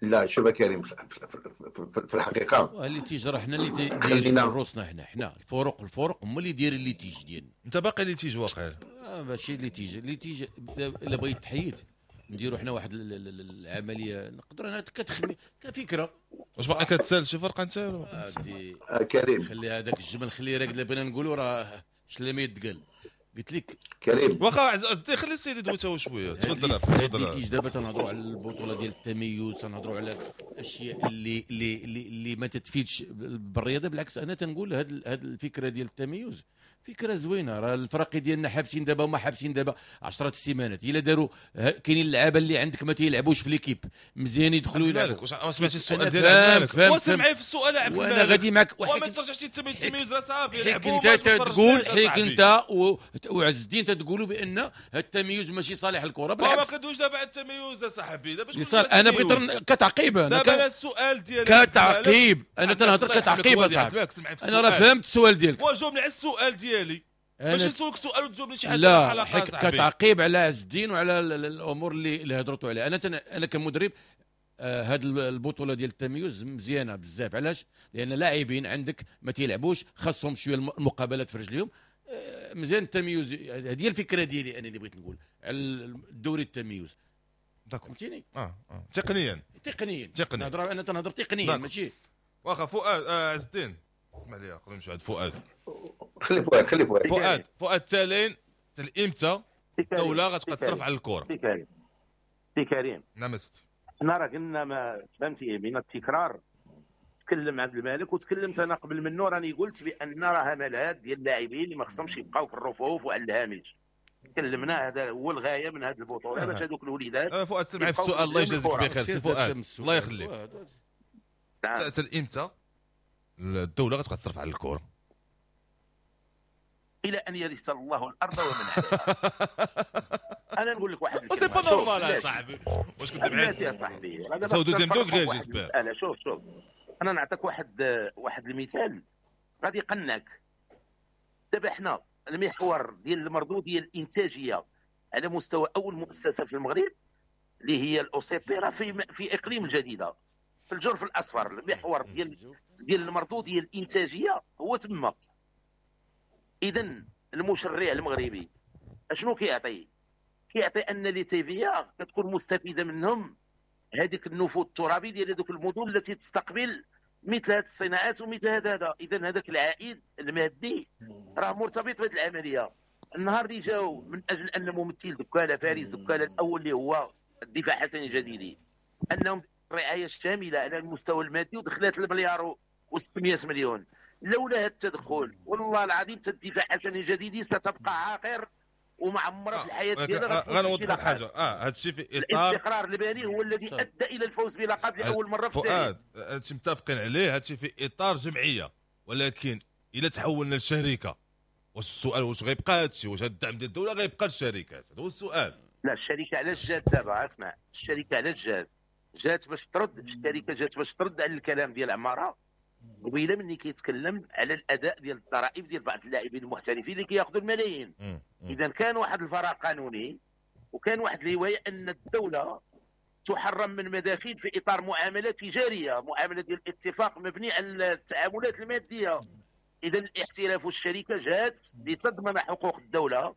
لا شوف كريم، في الحقيقة ال litige راه حنا اللي دايرين روسنا، حنا الفرق هما اللي دايرين ال litige ديالنا. انت باقي litige واقع؟ ماشي litige، litige الا بغيت تحيد نديروا حنا واحد العملية نقدر انا كتخمي كفكرة. واش باقي كتسال شي فرقه انت كريم؟ خلي هذاك الجمل، خليه راكد. بغينا نقولوا راه شلا ما يتقال. قلت لك كريم واخا عزيزي، خلي السيد يدوي تا هو شوية. تفضل تفضل. دابا تنهضروا على البطولة ديال التميز، تنهضروا على الاشياء اللي اللي اللي ما تتفيدش بالرياضة. بالعكس انا تنقول هاد الفكرة ديال التميز فكرة زوينة. راه الفرق ديالنا حابسين دابا وما حابسين دابا 10 السيمانات، الا داروا كاينين اللعابه اللي عندك ما تيلعبوش في l'équipe مزيان يدخلوا يلعبوا. واش سمعتي السؤال ديالك؟ واصل معايا في السؤال عبد الملك، وانا غادي معاك. وما ترجعش التمييز راه صافي لعبوا. انت تقول حيت انت وعز الدين تتقولوا بان التمييز ماشي صالح الكره. بالعكس ما كندويش دابا على التمييز صاحبي، دابا انا بغيت كتعقيب. انا دابا السؤال ديالك كتعقيب، انا تنهضر كتعقيب اصاحبي. انا راه فهمت السؤال ديالك وجاوبني على السؤال ديالي، ماشي نسولك سؤال وتجاوبني شي حاجة. لا كتعقيب على عز الدين وعلى الامور اللي هضرتوا عليها. انا كمدرب هاد البطولة ديال التمييز مزيانه بزاف. علاش؟ لان لاعبين عندك ما تيلعبوش، خاصهم شوية المقابلات في رجليهم. مزيان التمييز. هذه هي الفكرة ديالي انا اللي بغيت نقول على الدوري التمييز. فهمتيني؟ تقنيا نهضر، انا تنهضر تقنيا ماشي. واخا فؤاد عز الدين اسمح لي قبل نمشي عند فؤاد. خلي فؤاد. فؤاد تالين امتى الدولة غتبقى تصرف على الكره؟ سي كريم. نعم سيدي. حنا راه قلنا ما فهمتي من التكرار. تكلم عبد الملك وتكلمت انا قبل منه، راني قلت بان راه هملات ديال اللاعبين اللي ما خصهمش يبقاو في الرفوف وعلى الهامش. تكلمنا، هذا هو الغاية من هذه البطولة باش هذوك الوليدات. فؤاد سمعي في السؤال، الله يجازيك بخير سي فؤاد، الله يخليك. تال امتى الدولة غتبقى تصرف على الكره؟ الى ان يرث الله الارض ومن عليها. انا نقول لك واحد الكلمة، c'est pas normal يا صاحبي. واش كنت بعيد يا صاحبي؟ c'est deuxième degré j'espère. شوف انا نعطيك واحد المثال غادي يقنعك. دابا حنا المحور ديال المردوديه الانتاجية على مستوى اول مؤسسة في المغرب اللي هي ال OCP راه في اقليم الجديدة في الجرف الاصفر. المحور ديال المردوديه الانتاجية هو تما. اذا المشرع المغربي اشنو كيعطي؟ كيعطي ان les TVA كتكون مستفيدة منهم هذيك النفوذ الترابي ديال هذوك المدن التي تستقبل مثل هذه الصناعات ومثل هذا. اذا هذاك العائد المادي راه مرتبط بهذه العملية. النهار اللي جاو من اجل ان ممثل دكاله فارس دكاله الاول اللي هو الدفاع الحسني الجديدي انهم الرعاية الشاملة على المستوى المادي ودخلت المليار و600 مليون. لولا هذا التدخل والله العظيم الدفاع الحسني الجديدي ستبقى عاقر ومعمره في الحياة ديالها. غنوضح حاجة، هذا الشيء في اطار الاستقرار المالي هو الذي ادى الى الفوز بلقب لاول مرة في التاريخ. هذا الشيء متفقين عليه، هذا الشيء في اطار جمعية، ولكن الا تحولنا لشركة واش السؤال واش غيبقى هذا الشيء؟ واش هذا الدعم ديال الدولة غيبقى للشركات؟ هذا هو السؤال. لا الشركة علاش جات دابا؟ اسمع، الشركة علاش جات؟ جات باش ترد، الشركة جات باش ترد على الكلام ديال عمارة قبيلة مني كيتكلم على الاداء ديال الضرائب ديال بعض اللاعبين المحترفين اللي كياخذوا الملايين. اذا كان واحد الفراغ قانوني وكان واحد الرواية ان الدولة تحرم من مداخيل في اطار معاملة تجارية، معاملة ديال الاتفاق مبني على التعاملات المادية. اذا الاحتراف والشركة جات لتضمن حقوق الدولة،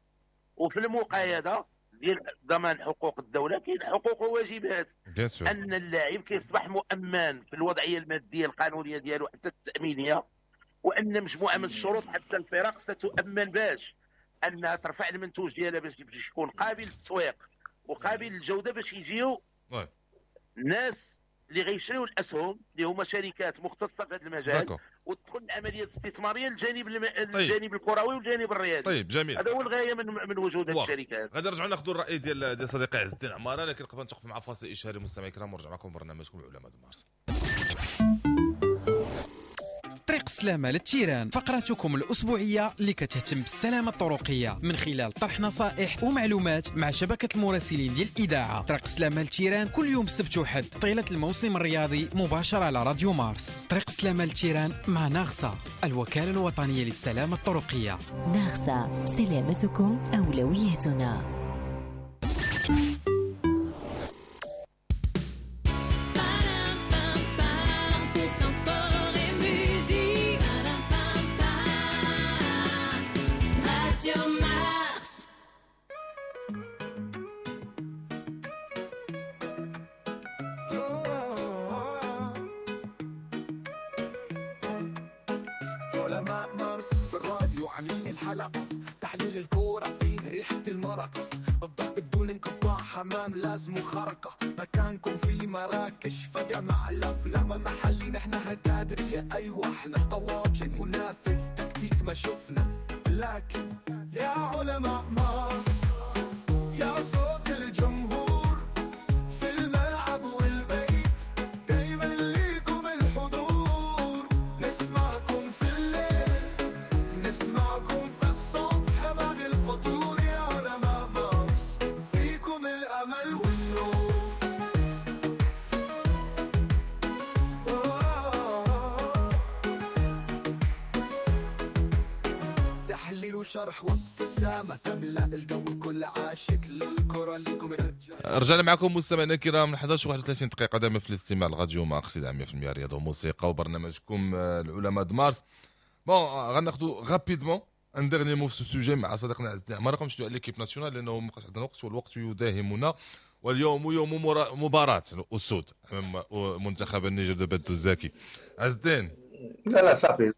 وفي المقايضة ديال ضمان حقوق الدولة كاين حقوق وواجبات. ان اللاعب كيصبح مؤمن في الوضعية المادية القانونية ديالو حتى التامينيه، وان مجموعة من الشروط حتى الفرق ستؤمن باش انها ترفع المنتوج ديالها باش يكون قابل للتسويق وقابل للجودة، باش يجيو الناس اللي غيشريو الاسهم اللي هما شركات مختصة في هذا المجال وتدخل العملية الاستثمارية للجانب الجانب الكروي والجانب الرياضي. طيب جميل، هذا هو الغاية من وجود هذه الشركات. غادي نرجعوا ناخذوا الراي ديال صديقي عز الدين عمارة، لكن قبل نتوقف مع فاصل اشهاري مستمعي الكرام ونرجع معكم برنامجكم العلماء مارس. طريق السلامة لل terrain، فقرتكم الأسبوعية اللي كتهتم بالسلامة الطرقية من خلال طرح نصائح ومعلومات مع شبكة المراسلين ديال الإذاعة. طريق السلامة لل terrain كل يوم سبت وحد طيلة الموسم الرياضي مباشرة على راديو مارس. طريق السلامة لل terrain مع ناغسا، الوكالة الوطنية للسلامة الطرقية. ناغسا، سلامتكم أولويتنا. تحليل الكورة فيه ريحة المرق، الضرب بدون انقطاع، حمام لازم خرقة، مكانكم في مراكش فجمع الأفلام محلي، نحن هتادرية أيوة احنا طواجن منافذ تكتيك ما شفنا، لكن يا علماء مارس، يا صوت الجمهور في الملعب والبيت، دايما ليكم الحضور. نسمعكم في الليل، نسمعكم في الصبح بعد الفطور. يا علماء مارس فيكم الأمل والنور. تحليل وشرح وابتسامة تملأ الجو، كل عاشق للكرة لكم رجع. رجعنا معكم مستمعينا الكرام 11:31 دقيقة دائما في الاستماع لراديو مارس 100% رياضة وموسيقى وبرنامجكم العلماء د مارس. bon غناخذوا rapidement un dernier mot في ce sujet مع صديقنا عز الدين عمارة. نمشيو على l'équipe nationale لانه ما بقاش عندنا وقت والوقت يداهمنا، واليوم يوم مباراة الاسود امام منتخب النيجر de بدو الزاكي. عز الدين. لا لا صافي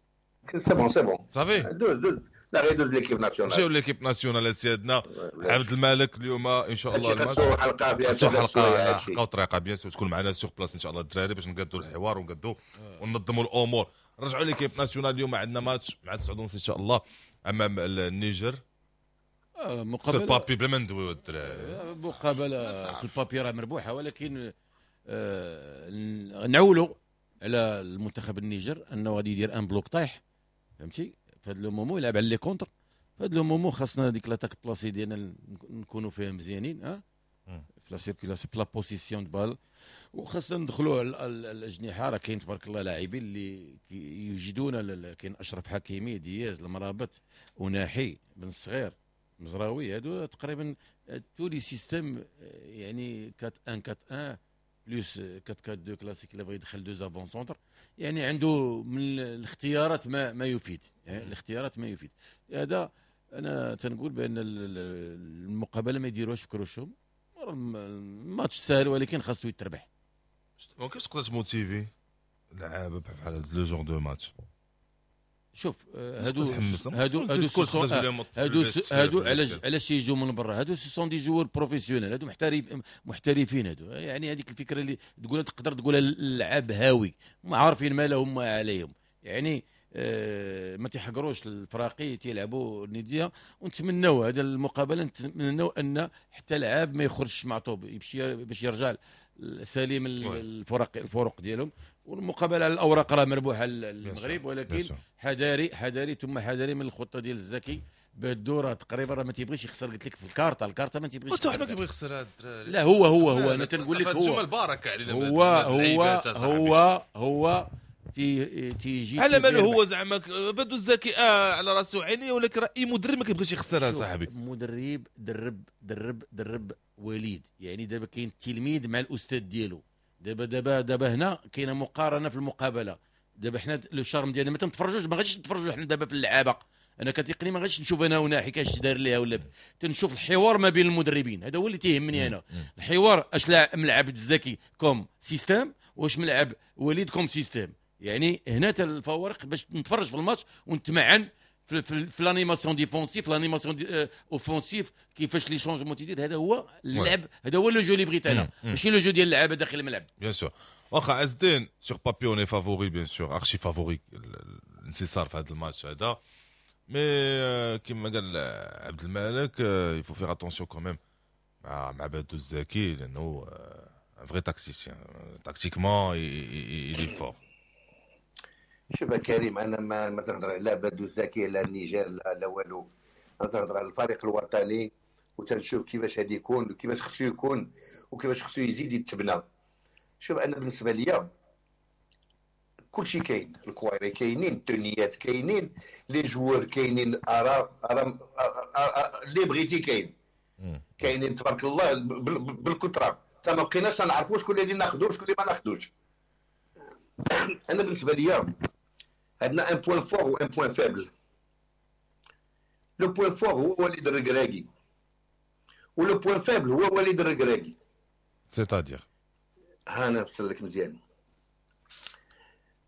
c'est bon c'est bon صافي دوز دوز، لا غير دوز l'équipe nationale. نمشيو l'équipe nationale سيادنا عبد الملك اليوم ان شاء الله الماتش حلقة bien sûr، حلقة حلقة وطريقه bien sûr تكون معنا sur place ان شاء الله الدراري باش نقادوا الحوار ونقادوا وننظموا الامور. رجعوا l'équipe nationale اليوم عندنا ماتش مع 9:30 ان شاء الله امام النيجر. مقابله ال papier بلا ما ندويو الدراري، مقابله في ال papier راه مربوحه، ولكن نعولوا على المنتخب النيجر انه غادي يدير un bloc طايح، فهمتي؟ في هذا le moment يلعب على les contres. في هذا le moment خاصنا ديك l'attaque placée ديالنا نكونوا فيها مزيانين، ها في la circulation في la possession de balle، وخاصنا ندخلوا على الاجنحة. راه كاين تبارك الله لاعبين اللي يجدون، كاين اشرف حكيمي، دياز، المرابط، وناحي، بن الصغير، مزراوي، هادو تقريبا tous les systèmes، يعني 4 1 4 1 plus 4 4 2 كلاسيك اللي بغى يدخل deux avant-centres، يعني عنده من الاختيارات ما يفيد، يعني الاختيارات ما يفيد. هذا انا تنقول بان المقابلة ما يديروهاش في كروشهم، الماتش سهل ولكن خاصو يتربح. كيفاش تقدر ت motiver لعابه بحال هاد le genre de match؟ شوف هادو هادو هادو هادو هادو علاش يجوا من برا؟ هادو ce sont des joueurs professionnels، هادو محترفين هادو، يعني هذيك الفكرة اللي تقولها تقدر تقولها اللعاب هاوي، ما عارفين ما لهم ما عليهم، يعني ما تيحقروش الفراقي، تيلعبوا الندية. ونتمناو هذا المقابلة، نتمناو ان حتى لعاب ما يخرجش معطوب، يمشي باش يرجع سليم الفرق ديالهم. والمقابلة على الاوراق راه مربوحه للمغرب، ولكن حذاري حذاري ثم حذاري من الخطة ديال الزكي بدو، راه تقريبا راه ما تيبغيش يخسر. قلت لك في الكارطه، الكارطه ما تيبغيش يخسر، ما كيبغي يخسر هذا الدراري. لا هو هو هو انا تنقول لك هو البركة علينا، هو هو هو هو تيجي على ماله هو زعما بدو الزكي على راسه وعينيه، ولكن راه اي مدرب ما كيبغيش يخسرها صاحبي. مدرب درب درب درب وليد، يعني دابا كاين التلميذ مع الاستاذ ديالو. دابا دابا دابا هنا كاينه مقارنة في المقابلة. دابا حنا le charme ديالنا ما تنتفرجوش، ما غاديش نتفرجوا حنا دابا في اللعابه. انا كتقني ما غاديش نشوف انا وناحي كاش دار ليها ولا، تنشوف الحوار ما بين المدربين، هذا هو اللي تيهمني انا. الحوار اش ملعب الزكي comme système، واش ملعب وليد comme système، يعني هنا الفوارق باش نتفرج في الماتش ونتمعن في l'animation défensive، l'animation offensive، كيفاش les changements تيدير. هذا هو اللعب، هذا هو le jeu اللي بغيت انا، ماشي le jeu ديال اللعابه داخل الملعب. bien sûr واخا عز الدين sur papier on est favori، bien sûr archi favori الانتصار في هذا الماتش هذا، mais كيما قال عبد الملك il faut faire attention quand même مع بدو الزكي، لانه un vrai tacticien، tactiquement il est fort. شوف كريم، انا ما تنهضر على بدو الزكي لا النيجر لا والو، انا تنهضر على الفريق الوطني وتنشوف كيفاش غادي يكون وكيفاش خصو يكون وكيفاش خصو يزيد يتبنى. شوف انا بالنسبة ليا كلشي كاين، الكويري كاينين، التونيات كاينين، les joueurs كاينين، ارا اللي بغيتي كاين، كاينين تبارك الله بالكثرة، حتى ما بقيناش نعرفوا شكون اللي ناخذو شكون اللي ما ناخذوش. انا بالنسبة ليا عندنا un point fort و un point faible. le point fort هو وليد الركراكي، و le point faible هو وليد الركراكي. c'est-à-dire ها انا نفسر لك مزيان.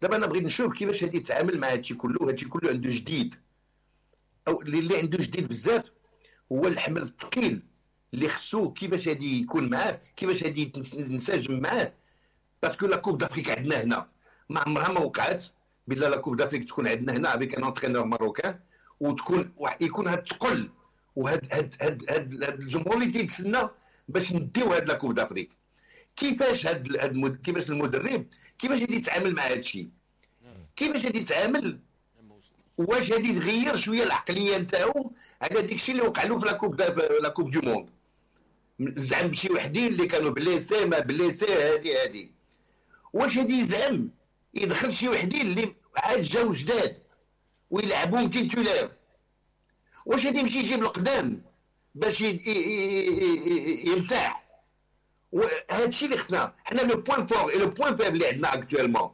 دابا انا بغيت نشوف كيفاش غادي يتعامل مع هادشي كله. هادشي كله عنده جديد، او اللي عنده جديد بزاف هو الحمل الثقيل اللي خصو كيفاش غادي يكون معاه، كيفاش غادي ينسجم معاه. parce que la Coupe d'Afrique عندنا هنا ما عمرها ما وقعت بلا la Coupe d'Afrique تكون عندنا هنا avec un entraîneur marocain، وتكون يكون هاد الثقل وهاد هاد هاد هاد الجمهور اللي تيتسنى باش نديو هاد la Coupe d'Afrique. كيفاش هاد كيفاش المدرب كيفاش غادي يتعامل مع هاد الشيء؟ كيفاش غادي يتعامل؟ واش غادي يغير شوية العقلية نتاعو على داك الشيء اللي وقع له في la Coupe du Monde؟ زعم بشي وحدين اللي كانوا blessés ما blessés هادي. واش غادي يزعم يدخل شي وحدين اللي عاد جاو جداد ويلعبوهم titulaires؟ واش غادي يمشي يجيب القدام باش يرتاح؟ وهذا الشيء اللي خصنا حنا. le point fort et le point faible اللي عندنا actuellement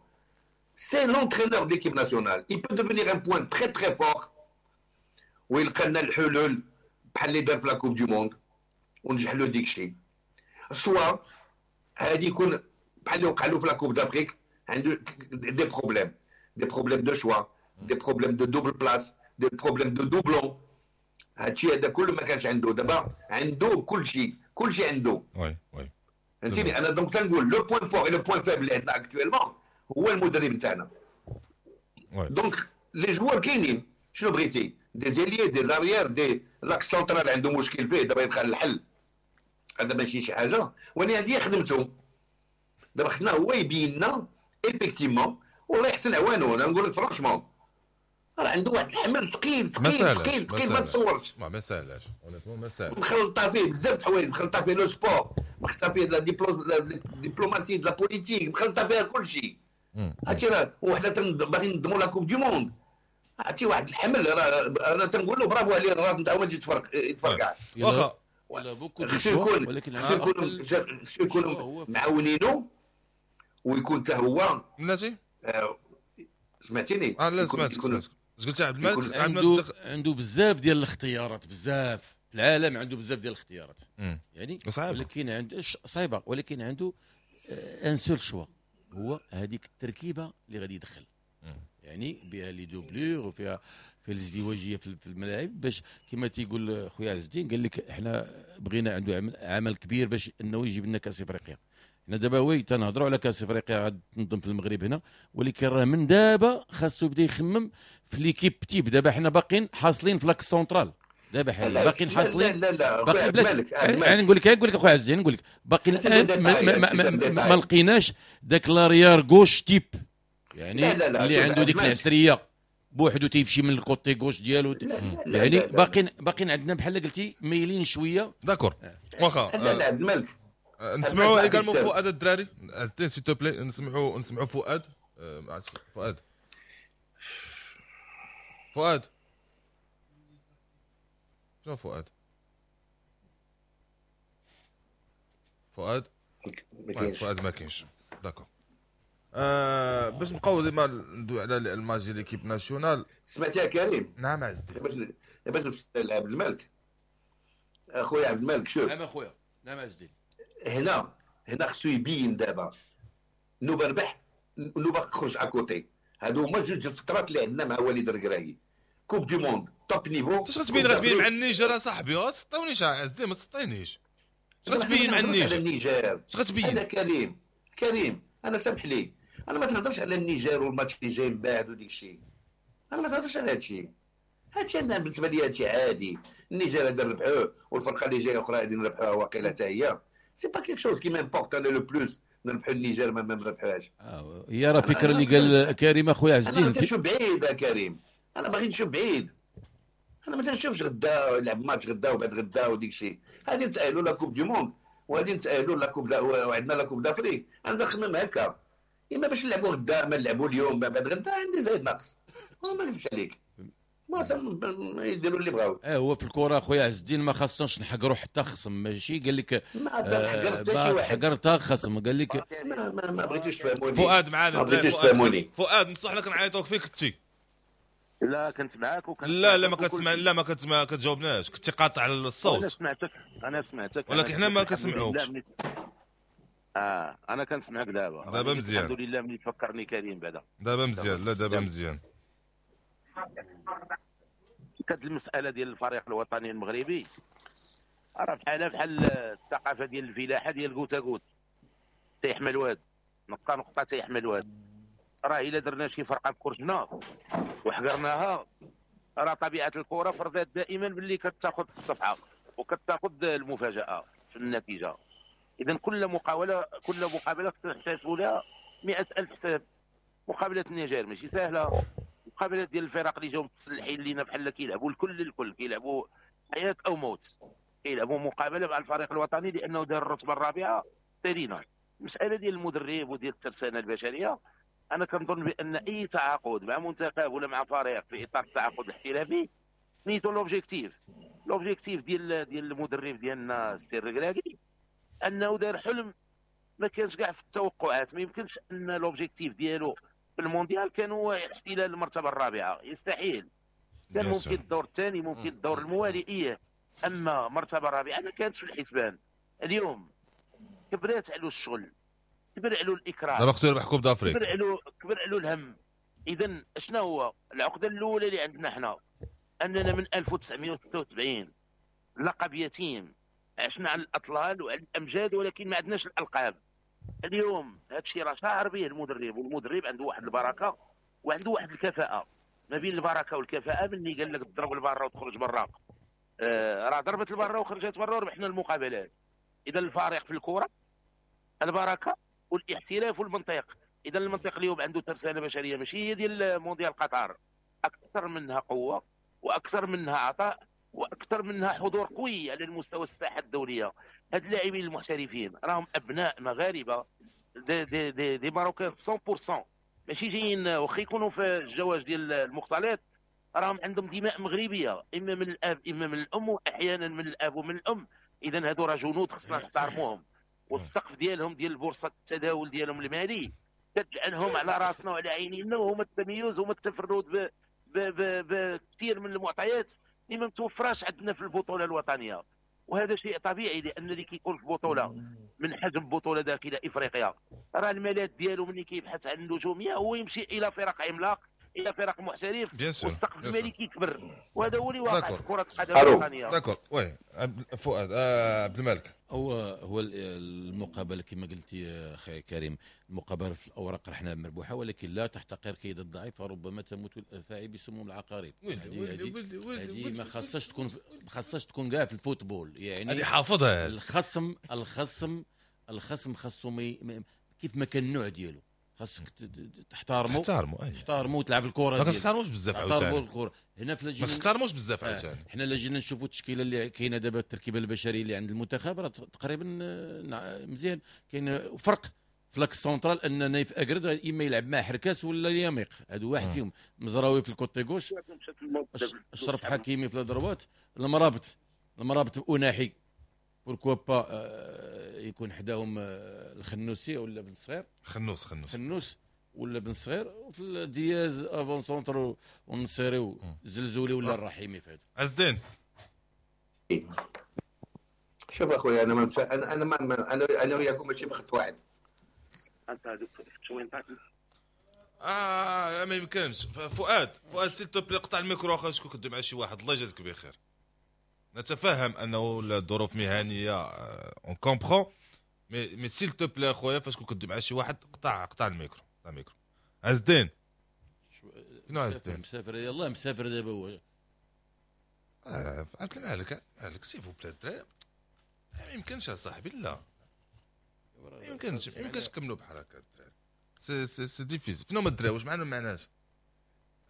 c'est l'entraîneur de l'équipe nationale. Il peut devenir un point très très fort ويلقى لنا الحلول بحال اللي دار في la Coupe du Monde ونجح له ديك الشيء، soit هادي يكون بحال اللي وقع له في la Coupe d'Afrique، عنده des problèmes de choix، des problèmes de double place، des problèmes de doublons. هادشي هذا كله ما كانش عنده، دابا عنده كلشي، كلشي عنده. oui oui فهمتيني. انا donc تنقول le point fort et le point faible اللي عندنا actuellement هو المدرب نتاعنا. donc les joueurs كاينين، شنو بغيتي؟ des ailiers، des arrières، des l'axe central عنده مشكل فيه، دابا يبقى الحل. هذا ماشي شي حاجة، ولكن هذه خدمته. دابا خصنا هو يبين لنا effectivement، والله يحسن عوانة. انا نقول لك franchement راه عنده واحد الحمل ثقيل ثقيل ثقيل ثقيل ما تصورش. ما ساهلاش، ما ساهلاش. مخلطه فيه بزاف د الحوايج، مخلطه فيه le sport، مخلطه فيه la diplomatie، la politique، مخلطه فيها كل شيء. هادشي راه وحنا باغيين نضموا la Coupe du Monde. عرفتي واحد الحمل راه انا تنقول له برافو عليه، الراس نتاعو ما تجي يتفرقع. واخا ولا beaucoup de choix، ولكن خصو يكون معاونينو ويكون حتى هو بلاتي. سمعتيني؟ لا سمعتك. اش قلت عبد الملك؟ عنده بزاف ديال الاختيارات، بزاف في العالم عنده بزاف ديال الاختيارات. يعني ولكن عنده صعيبة، ولكن عنده un seul choix، هو هذيك التركيبة اللي غادي يدخل. يعني بها les doublures وفيها في الازدواجيه في الملاعب، باش كما تيقول خويا عز الدين قال لك احنا بغينا عنده عمل كبير باش انه يجيب لنا كاس افريقيا. حنا دابا oui تنهضروا على كاس افريقيا غاد تنظم في المغرب هنا، ولكن راه من دابا خاصو يبدا يخمم في l'équipe type. دابا حنا باقيين حاصلين في l'axe central، دابا حاليا باقيين حاصلين. لا لا باقي مالك. يعني نقول لك اخويا عز الدين، نقول لك باقي الان ما لقيناش داك l'arrière gauche type، يعني لا لا لا اللي عنده ديك العسريه بوحدو تيمشي من ال côté gauche ديالو. يعني باقيين عندنا بحال قلتي مايلين شوية. d'accord واخا. لا لا عبد الملك نسمعوا également فؤاد الدراري s'il te plaît، نسمعوا فؤاد. فؤاد فؤاد شنو فؤاد؟ فؤاد فؤاد ما كاينش. d'accord. باش نبقاو ديما ندوي على الماتش ديال l'équipe nationale. سمعتيها كريم؟ نعم عز الدين. باش نفسر عبد الملك، اخويا عبد الملك شوف. نعم اخويا، نعم عز الدين. هنا خصو يبين دابا نوبه ربح نوبه خرج à côté. هادو هما جوج الفترات اللي عندنا مع وليد الركراكي. Coupe du Monde top niveau. اش غتبين مع النيجر اصاحبي؟ ما تسطيونيش عز الدين، ما تسطينيش. اش غتبين مع النيجر؟ اش غتبين؟ هذا كريم انا سامح لي، انا ما تنهضرش على النيجر والماتش اللي جاي من بعد وديك الشيء، انا ما تنهضرش على هادشي. هادشي انا بالنسبة لي هادشي عادي. النيجر هذا نربحوه والفرقة اللي جاية اخرى غادي نربحوها واقيلا حتى هي. c'est pas quelque chose qui m'importe انا le plus نربحو النيجر ما نربحوهاش. هي راه فكرة اللي قال كريم اخويا عز الدين. انا تنشوف بعيد يا كريم، انا باغي نشوف بعيد. انا ما تنشوفش غدا لعب ماتش غدا وبعد غدا وديك الشيء. غادي نتاهلوا la Coupe du Monde وغادي نتاهلوا la Coupe وعندنا la Coupe d'Afrique. انا نخمم هكا، اما باش نلعبوا غدا ما نلعبوا اليوم بعد غدا عندي زايد ناقص. ما نكذبش عليك، ما يديروا اللي بغاو. هو في الكره اخويا عز الدين ما خاصناش نحقروا حتى خصم، ماشي قال لك ما تحقر حتى شي واحد، حقر حتى خصم قال لك ما بغيتوش تفهموني. فؤاد معانا، ما بغيتوش فؤاد نصح لك نعيطوك فيك كنتي. لا كنت معاك وكنت لا ما كتسمع، لا ما كتجاوبناش، كنتي قاطع الصوت. انا سمعتك ولكن حنا ما كنسمعوكش. انا كنسمعك دابا مزيان الحمد لله. ملي تفكرني كريم بعدا دابا مزيان. لا دابا مزيان. كانت المسالة ديال الفريق الوطني المغربي راه بحال الثقافة ديال الفلاحة ديال goutte à goutte، تيحمل واد نقطة نقطة تيحمل واد. راه الا درنا شي فرقه في كرتنا وحقرناها راه طبيعة الكره فرضت دائما باللي كتاخذ الصفحة وكتاخذ المفاجاة في النتيجة. اذا كل مقابله خصنا نحتسبوا لها 100,000 حساب. مقابله النيجر ماشي سهلة، مقابلات ديال الفرق اللي جاو متسلحين لينا بحال كيلعبوا الكل كيلعبوا حياة او موت، كيلعبوا مقابله مع الفريق الوطني لانه دار الرتبة الرابعة سالينا. المسالة ديال المدرب وديال الترسانه البشرية، انا كنظن بان اي تعاقد مع منتخب ولا مع فريق في اطار التعاقد الاحترافي سميتو l'objectif ديال المدرب ديالنا السي الركراكي انه دار حلم ما كانش كاع في التوقعات. ما يمكنش ان l'objectif ديالو في المونديال كان هو احتلال المرتبة الرابعة، يستحيل. كان ممكن الدور الثاني، ممكن الدور الموالي، ايه، اما مرتبه رابعه ما كانتش في الحسبان. اليوم كبرات علو الشغل، كبر علو الاكراه، دابا خصو يربح coupe d'Afrique، كبر علو الهم. اذا شنو هو العقدة الاولى اللي عندنا حنا؟ اننا من 1976 لقب يتيم، عشنا على الاطلال وعلى الامجاد ولكن ما عندناش الالقاب. اليوم هذا الشيء راه شاعر به المدرب، والمدرب عنده واحد البركة وعنده واحد الكفاءة. ما بين البركة والكفاءة ملي قال لك تضرب البرة وتخرج برا، راه ضربت البرة وخرجت برا وربحنا المقابلات. اذا الفارق في الكره البركة والاحتراف والمنطق. اذا المنطق اليوم عنده ترسانه بشرية ماشي هي ديال مونديال قطر، اكثر منها قوة واكثر منها عطاء واكثر منها حضور قوي على المستوى الساحة الدولية. هاد اللاعبين المحترفين راهم ابناء مغاربة، des Marocains 100%، ماشي جايين واخا يكونوا في الجواز ديال المختلط راهم عندهم دماء مغربية، اما من الاب اما من الام، واحيانا من الاب ومن الام. اذا هادو راه جنود خصنا نحترموهم، والسقف ديالهم ديال البورصة التداول ديالهم المالي كتجعلهم على راسنا وعلى عينينا، وهما التميز وهما التفرد بكثير من المعطيات اللي ما متوفراش عندنا في البطولة الوطنية. وهذا شيء طبيعي، لان اللي كيكون في بطوله من حجم بطوله داخل افريقيا راه الملاذ ديالو ملي كيبحث عن النجومية هو يمشي الى فرق عملاق، الى فرق محترف، والسقف المالي كيكبر، وهذا هو اللي واقع في كره القدم الوطنية. d'accord oui فؤاد عبد الملك، هو المقابلة كما قلتي اخي كريم، المقابلة في الاوراق رحنا مربوحه، ولكن لا تحتقر كيد الضعيف فربما تموت الافاعي بسموم العقارب. هذه ما خاصهاش تكون، ما خاصهاش تكون كاع في ال football، يعني هذه حافظها. الخصم خاصو كيف ما كان النوع ديالو خاصك تحترمو تحترمو وتلعب الكره ديالك. ما تحترموش بزاف عاوتاني الكره هنا في ما تحترموش بزاف عاوتاني. حنا لا جينا نشوفوا التشكيلة اللي كاينه دابا، التركيبة البشرية اللي عند المنتخب راه تقريبا مزيان. كاين فرق في l'axe central ان نايف اكرد اما يلعب مع حركاس ولا اليميق، هادو واحد فيهم. مزراوي في ال côté gauche، اشرف حكيمي في la droite، المرابط اناحي pourquoi pas يكون حداهم الخنوسي ولا بن صغير، خنوس ولا بن صغير، وفي دياز avant-centre والنصيري والزلزولي ولا الرحيمي. في هذا عز الدين. شوف اخويا، انا ما انا ما انا وياكم ماشي بخط واحد. انت هذوك شوين ما يمكنش. فؤاد s'il te plaît قطع الميكرو اخا، شكون كدوي مع شي واحد، الله يجازيك بخير. نتفهم انه الظروف مهنية on comprend، mais s'il te plaît خويا فاش كنت مع شي واحد قطع الميكرو. عز الدين شنو عز الدين؟ مسافر، يلاه مسافر دابا هو. عبد المالك مالك s'il vous plaît الدراري، ما يمكنش اصاحبي، لا ما يمكنش نكملوا بحال هكا الدراري، c'est difficile. فين هما الدراري؟ واش معنا ولا معناش؟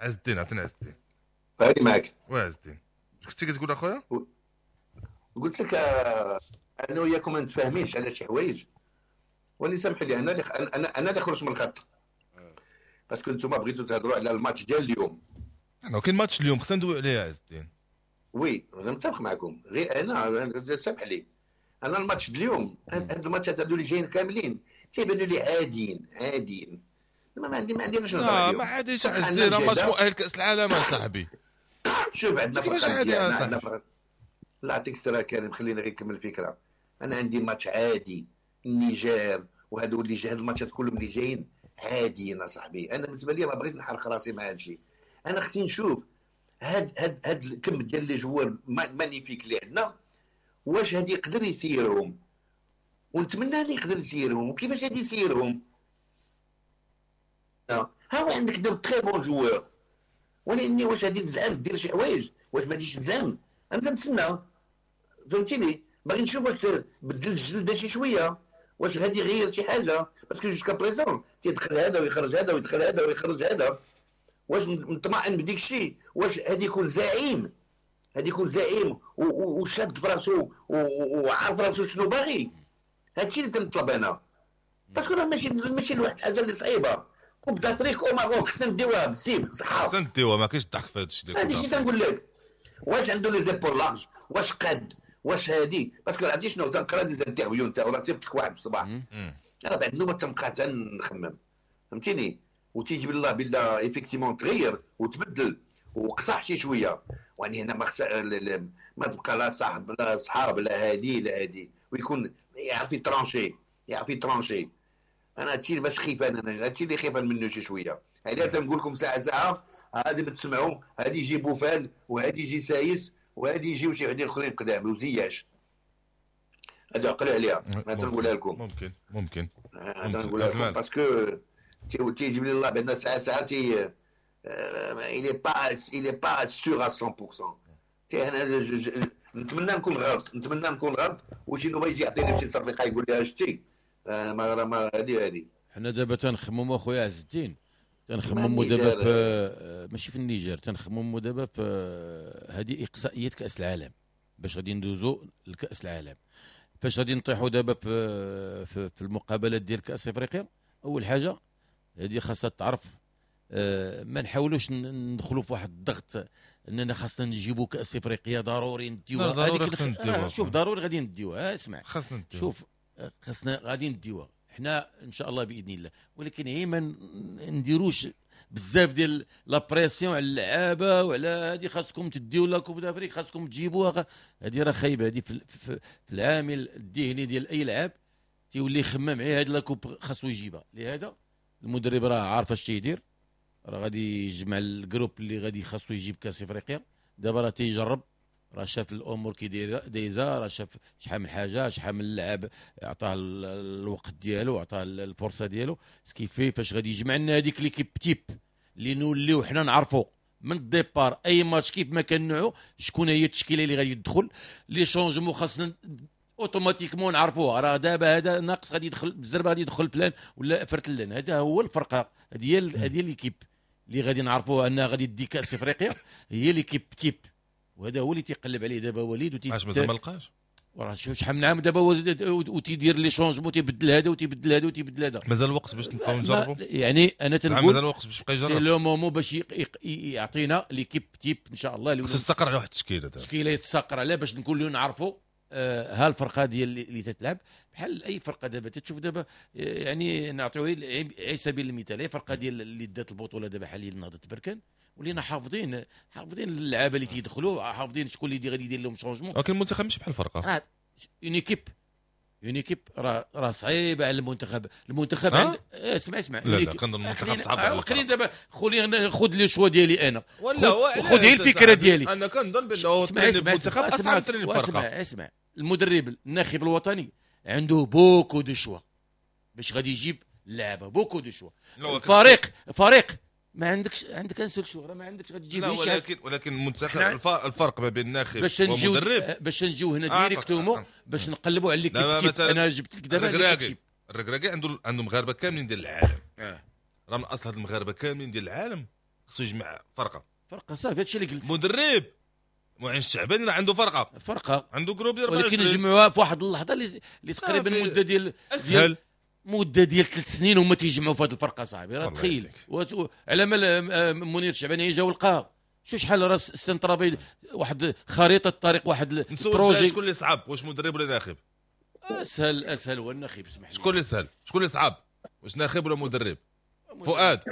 عز الدين عطينا عز الدين. هاني معاك. oui عز الدين، كنتي كتقول اخويا؟ قلت لك انا وياكم ما نتفاهمينش على شي حوايج، وني سامح لي انا انا اللي خرجت من الخط، parce que نتوما بغيتو تهضروا على الماتش ديال اليوم. انا كاين ماتش اليوم خصنا ندويو عليه عز الدين. oui انا متفق معكم، غير انا سامح لي انا الماتش ديال اليوم، هاد الماتشات هادو اللي جايين كاملين تيبانوا لي عاديين، ما عندي علاش نهضر عليهم. ما عاديش عز الدين، راه ماتش مؤهل كاس العالم اصاحبي. شوف عندنا فرق، لا يعطيك السلامة كريم، خليني غير نكمل الفكرة. انا عندي ماتش عادي، النيجر وهادو اللي جاي، هاد الماتشات كلهم اللي جايين عاديين اصاحبي. انا بالنسبة لي ما بغيتش نحرق راسي مع هادشي، انا خصني نشوف هاد الكم ديال les joueurs magnifiques اللي عندنا، واش هادي يقدر يسيرهم، ونتمنى اللي يقدر يسيرهم، وكيفاش هادي يسيرهم. ها هو عندك de très bons joueurs، ولكن واش غادي تزعم دير شي حوايج، واش ما غاديش تزعم؟ انا تنتسنى، فهمتيني؟ باغي نشوف واش بدل الجلدة شي شوية، واش غادي يغير شي حاجة، parce que jusqu'à présent تيدخل هذا ويخرج هذا ويدخل هذا ويخرج هذا. واش مطمئن بديك الشيء؟ واش غادي يكون زعيم؟ غادي يكون زعيم وشاد في راسو وعارف راسو شنو باغي. هادشي اللي تنطلب انا، parce que راه ماشي لواحد الحاجة اللي صعيبة. Coupe d'Afrique au Maroc خصنا نديوها بالسيف صحة، خصنا نديوها، ما كاينش الضحك في هادشي. هادشي اللي تنقول لك، واش عنده les épaules larges، واش قاد، واش هادي؟ parce que عرفتي شنو تنقرا des interviews نتاعو، راه صيفط لك واحد بالصباح، انا بعد النوبة تنبقى تنخمم، فهمتيني؟ وتيجي بالله بالله effectivement تغير وتبدل وقصح شي شوية، ويعني هنا ما تبقى لا صاحب لا صحاب لا هادي لا هادي، ويكون يعرف ي trancher، يعرف ي trancher. انا هادشي باش خايف، انا هادشي اللي خايف منه شي شوية. هذا تنقول لكم ساعة ساعة، هادي بتسمعوا، هادي يجي بوفال وهادي يجي سايس وهادي يجيو شي وحدين اخرين قدام وزياش. هادي عقلوا عليها، انا تنقولها لكم. ممكن تنقولها لكم parce que تيجيب لي الله بان ساعة ساعة تي il est pas sûr à 100%. تي انا نتمنى نكون غلط، نتمنى نكون غلط، وشي نوبه يجي يعطيني شي تصرفيقه يقول لي شتي ما هادي. حنا دابا تنخمموا اخويا عز الدين، تنخمموا دابا في ماشي في النيجر، تنخمموا دابا في هذه اقصائيات كاس العالم، باش غادي ندوزو لكاس العالم. فاش غادي نطيحوا دابا في المقابلات ديال كاس افريقيا، اول حاجة هذه خاصها تعرف، ما نحاولوش ندخلوا في واحد الضغط اننا خاصنا نجيبوا كاس افريقيا ضروري نديوها. هذيك شوف ضروري غادي نديوها، اسمع خاصنا نديوها، شوف خاصنا غادي نديوها حنا ان شاء الله باذن الله، ولكن هي ما نديروش بزاف ديال la pression على اللعابه وعلى هذه خاصكم تديو la Coupe d'Afrique، خاصكم تجيبوها. هذه راه خايبة، هذه في العامل الذهني ديال اي لعاب تيولي يخمم على هذه la coupe خاصو يجيبها. لهذا المدرب راه عارف اش تيدير، راه غادي يجمع ال groupe اللي غادي خاصو يجيب كاس افريقيا. دابا راه تيجرب، راه شاف الامور كي دايزه، راه شاف شحال من حاجة، شحال من لاعب عطاه الوقت ديالو، عطاه الفرصة ديالو. ce qui fait فاش غادي يجمع لنا هذيك l'équipe type اللي نوليو حنا نعرفوا من ال départ اي ماتش كيف ما كان نوعو شكون هي التشكيلة اللي غادي تدخل، les changements خاصنا automatiquement نعرفوها. راه دابا هذا ناقص غادي يدخل بالزربه، غادي يدخل فلان ولا فرتلان. هذا هو الفرقة، هذه l'équipe اللي غادي نعرفوها انها غادي تدي كاس افريقيا، هي l'équipe type. وهذا هو اللي تيقلب عليه دابا وليد. علاش مازال ما لقاش؟ وراه شحال من عام دابا وتيدير les changements، تيبدل هذا وتيبدل هذا وتيبدل هذا. مازال الوقت باش نبقاو نجربوا، يعني انا تنقول مازال الوقت باش يبقى يجرب، c'est le moment باش يعطينا l'équipe type ان شاء الله. خصو يستقر على واحد التشكيلة، دابا التشكيلة يتستقر عليها باش نقولوا نعرفوا ها الفرقة ديال اللي تتلعب بحال اي فرقه. دابا تتشوف دابا يعني نعطيو على سبيل المثال اي فرقه ديال اللي دات البطولة دابا حاليا نهضة بركان، ولينا حافظين اللعابه اللي تيدخلوا، حافظين شكون اللي غادي يدير لهم changement. ولكن المنتخب ماشي بحال الفرقة، une équipe une équipe راه صعيبة على المنتخب. المنتخب عند اسمع لا كنظن المنتخب صعب على خليني دابا خذ les choix ديالي انا، خذ غير الفكرة ديالي انا. كنظن بانه المنتخب اصعب من الفرقة. اسمع المدرب الناخب الوطني عنده beaucoup de choix باش غادي يجيب اللعابه، beaucoup de choix. فريق ما عندكش، عندك un seul choix، راه ما عندكش غادي تجيب. ولكن المنتخب الفرق ما بين الناخب والمدرب باش نجيو هنا directement باش نقلبوا على l'équipe type. انا جبت لك دابا الركراكي عنده مغاربة كاملين ديال العالم. راه من اصل هاد المغاربة كاملين ديال العالم خصو يجمع فرقه صافي. هادشي اللي قلت. مدرب معين الشعباني راه عنده فرقه عنده groupe ديال 24، ولكن يجمعوها في واحد اللحظة اللي تقريبا مده ديال اسهل مده ديال 3 سنين هما تيجمعوا في هذه الفرقة صاحبي. راه تخيل على ما منير الشعباني جا ولقاها شو شحال راه c'est un travail، واحد خريطة الطريق، واحد ال projet. شكون اللي صعب، واش مدرب ولا ناخب؟ اسهل هو الناخب. اسمح لي، شكون اللي سهل، شكون اللي صعب، واش ناخب ولا مدرب؟ فؤاد.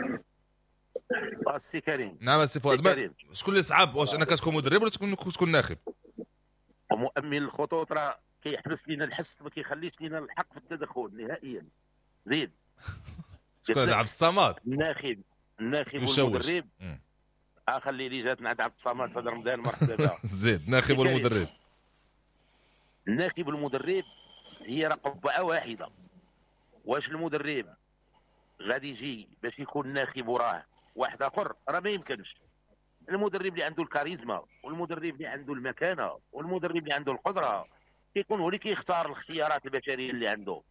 السي كريم. نعم السي فؤاد، شكون اللي صعب، واش انا كتكون مدرب ولا تكون ناخب؟ ومؤمن الخطوط راه كيحبس لنا الحس، ما كيخليش لنا الحق في التدخل نهائيا. زيد شكون هذا؟ عبد الصمد الناخب والمدرب. خلي لي جات عند عبد الصمد في هذا رمضان، مرحبا بها. زيد الناخب والمدرب. الناخب والمدرب هي راه قبعه واحدة. واش المدرب غادي يجي باش يكون ناخب وراه واحد اخر؟ راه ما يمكنش. المدرب اللي عنده الكاريزما والمدرب اللي عنده المكانة والمدرب اللي عنده القدرة كيكون هو اللي كيختار الاختيارات البشرية اللي عنده،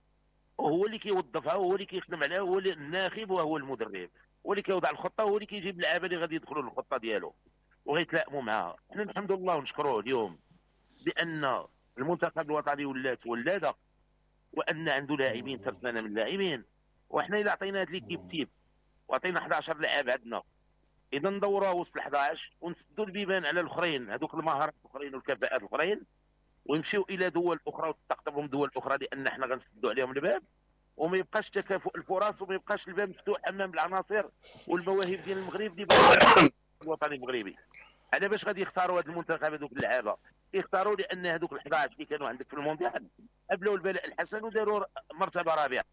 وهو اللي كيوظفها وهو اللي كيخدم عليها، هو اللي الناخب وهو المدرب، هو اللي كيوضع الخطة وهو اللي كيجيب اللعابه اللي غادي يدخلوا للخطه ديالو وغيتلائموا معها. حنا الحمد لله ونشكروه اليوم بان المنتخب الوطني ولات ولاده، وان عنده لاعبين ترسانه من اللاعبين، وحنا الا عطينا هاد l'équipe type وعطينا 11 لاعب عندنا، اذا ندوروها وسط 11 ونسدوا البيبان على الاخرين، هذوك المهارات الاخرين والكفاءات الاخرين، ويمشيو الى دول اخرى وتستقطبهم دول اخرى، لان حنا غنسدوا عليهم الباب وما يبقاش تكافؤ الفرص وما يبقاش الباب مفتوح امام العناصر والمواهب ديال المغرب اللي الوطني المغربي. على باش غادي يختاروا هذا المنتخب هذوك اللعابه؟ يختاروا لان هذوك ال11 اللي كانوا عندك في المونديال قبلوا البلاء الحسن وداروا مرتبه رابعه.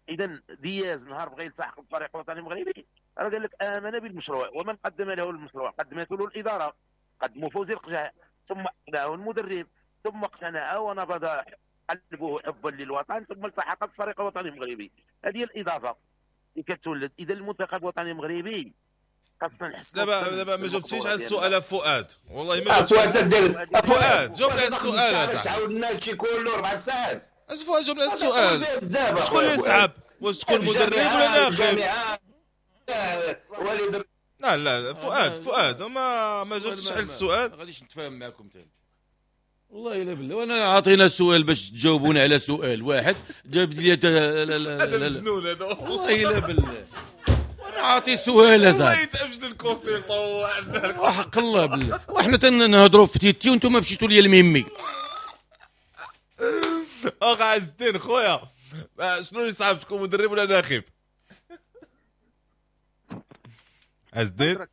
اذا دياز نهار بغى يلتحق بالفريق الوطني المغربي راه قال لك امن بالمشروع، ومن قدم له المشروع قدمته له الادارة، قدموا فوزي القجع، ثم اقنعه المدرب، ثم اقتنع ونبض قلبه حبا للوطن، ثم التحق بالفريق الوطني المغربي. هذه هي الاضافة اللي كتولد. اذا المنتخب الوطني المغربي خاصنا نحسنوا. دابا ما جاوبتيش على السؤال فؤاد، والله ما جاوبتيش فؤاد، جاوبنا على السؤال. عاودنا هادشي كله 4 ساعات. اش فؤاد جاوبنا على السؤال؟ شكون اللي صعب؟ واش تكون مدرب ولا ناخب؟ لا لا فؤاد ما جاوبتش على السؤال. ما غاديش نتفاهم معكم ثاني والله الا بالله. وانا عاطينا السؤال باش تجاوبونا على سؤال واحد، جاب لي هذا مجنون هذا والله الا بالله. وانا عاطي سؤال اصاحبي والله يتعبش ال consultant وحق الله بالله. وحنا تنهضروا في تيتي وانتم مشيتوا لي الميمي. اخ عز الدين خويا، شنو اللي صعب تكون مدرب ولا ناخب؟ عز الدين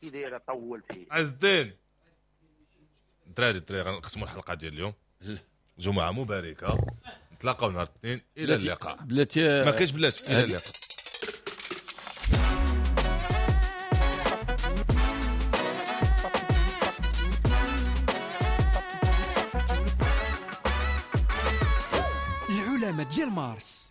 عز الدين الدراري غنقسموا الحلقة ديال اليوم. جمعه مباركة، نتلاقاو نهار الاثنين. الى اللقاء. بلاتي ما كاينش بلاتي. الى اللقاء. العلماء ديال مارس.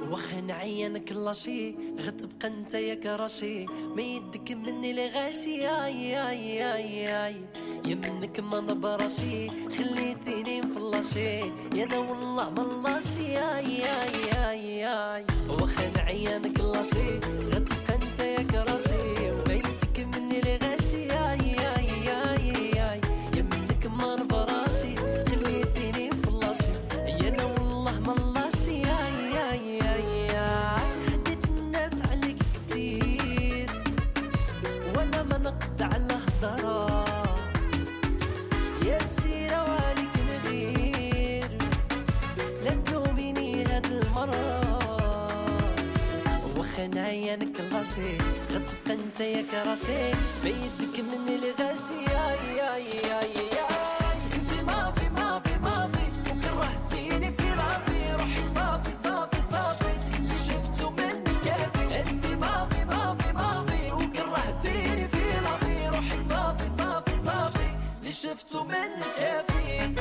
واخا نعينك لاشي غتبقى انت يا كراشي، ما يدك مني لغاشي. اي اي اي اي يا منك ما نبراشي، خليتيني مفلاشي يا انا والله ما لاشي. اي اي اي اي واخا نعينك لاشي غتبقى انت يا كراشي، ما يدك مني لغاشي. اي اي اي اي يا منك ما نبراشي، خليتيني مفلاشي يا انا والله ما لاشي. اي اي اي حديت الناس عليك كتير وانا ما نقد على هضره، يا الشيرة وعليك نغير، لا تلوميني هاد المرة. واخا نعينك لاشي غتبقى انت يا كراشي، ما يدك مني لغاشي. اي اي اي انت ماضي ماضي ماضي وكرهتيني في راضي، روحي صافي صافي صافي اللي شفتو من كافي. انت ماضي ماضي ماضي وكرهتيني في راضي، روحي صافي صافي صافي اللي شفتو من كافي.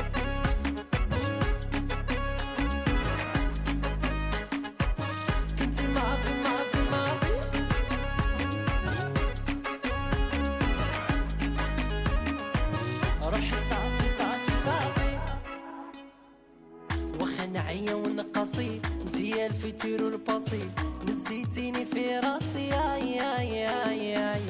كنتي ماضي ماضي ماضي روحي صافي صافي صافي. واخا نعيا ونقاسي انتي ال futur وال passé، نسيتيني في راسي. اي اي اي اي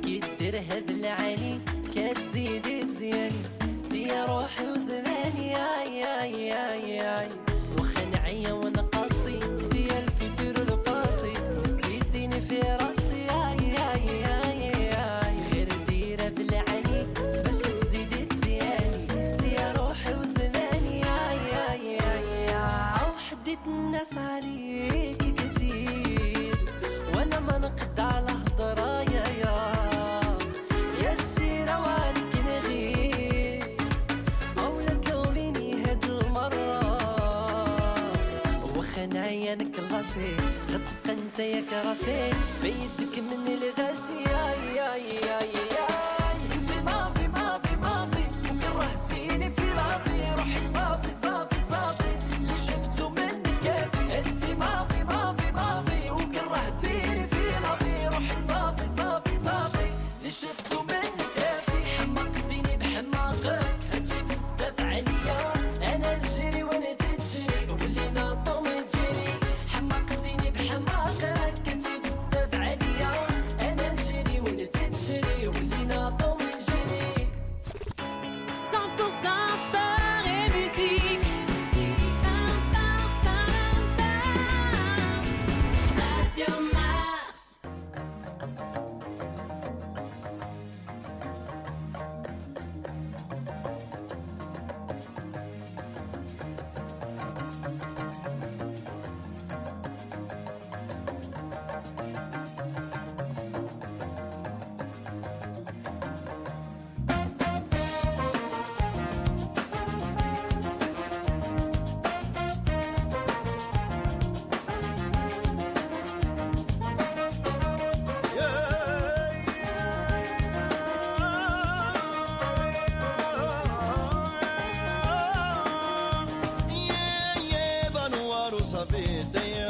كي دير هاد العالي كتزيدي تزياني، انتي يا روحي وزماني. اي اي اي اي واخا نعيا ونقاسي انتي ال futur وال passé، نسيتيني في راسي. اي اي اي اي غير ديرة بالعالي باش تزيدي تزياني، انتي يا روحي وزماني. اي اي اي اي وحديت الناس عليك كتير وانا ما نقد على هضره. يا يا الشيرة وعليك نغير، او لا تلوميني هاد المرة. واخا نعينك لاشي غتبقى انت يا كراشي، ما يدك مني لغاشي. اي اي اي اي انت ماضي ماضي ماضي وكرهتيني اللي شفتو منك كافي. حمقتيني بحماقك هادشي بزاف عليا، انا نجري وانا تجري ولينا طوم تجري. حمقتيني بحماقك هادشي بزاف عليا، انا نجري وانا تجري ولينا طوم تجري. 100% sport et musique. Radio Mars. Sapete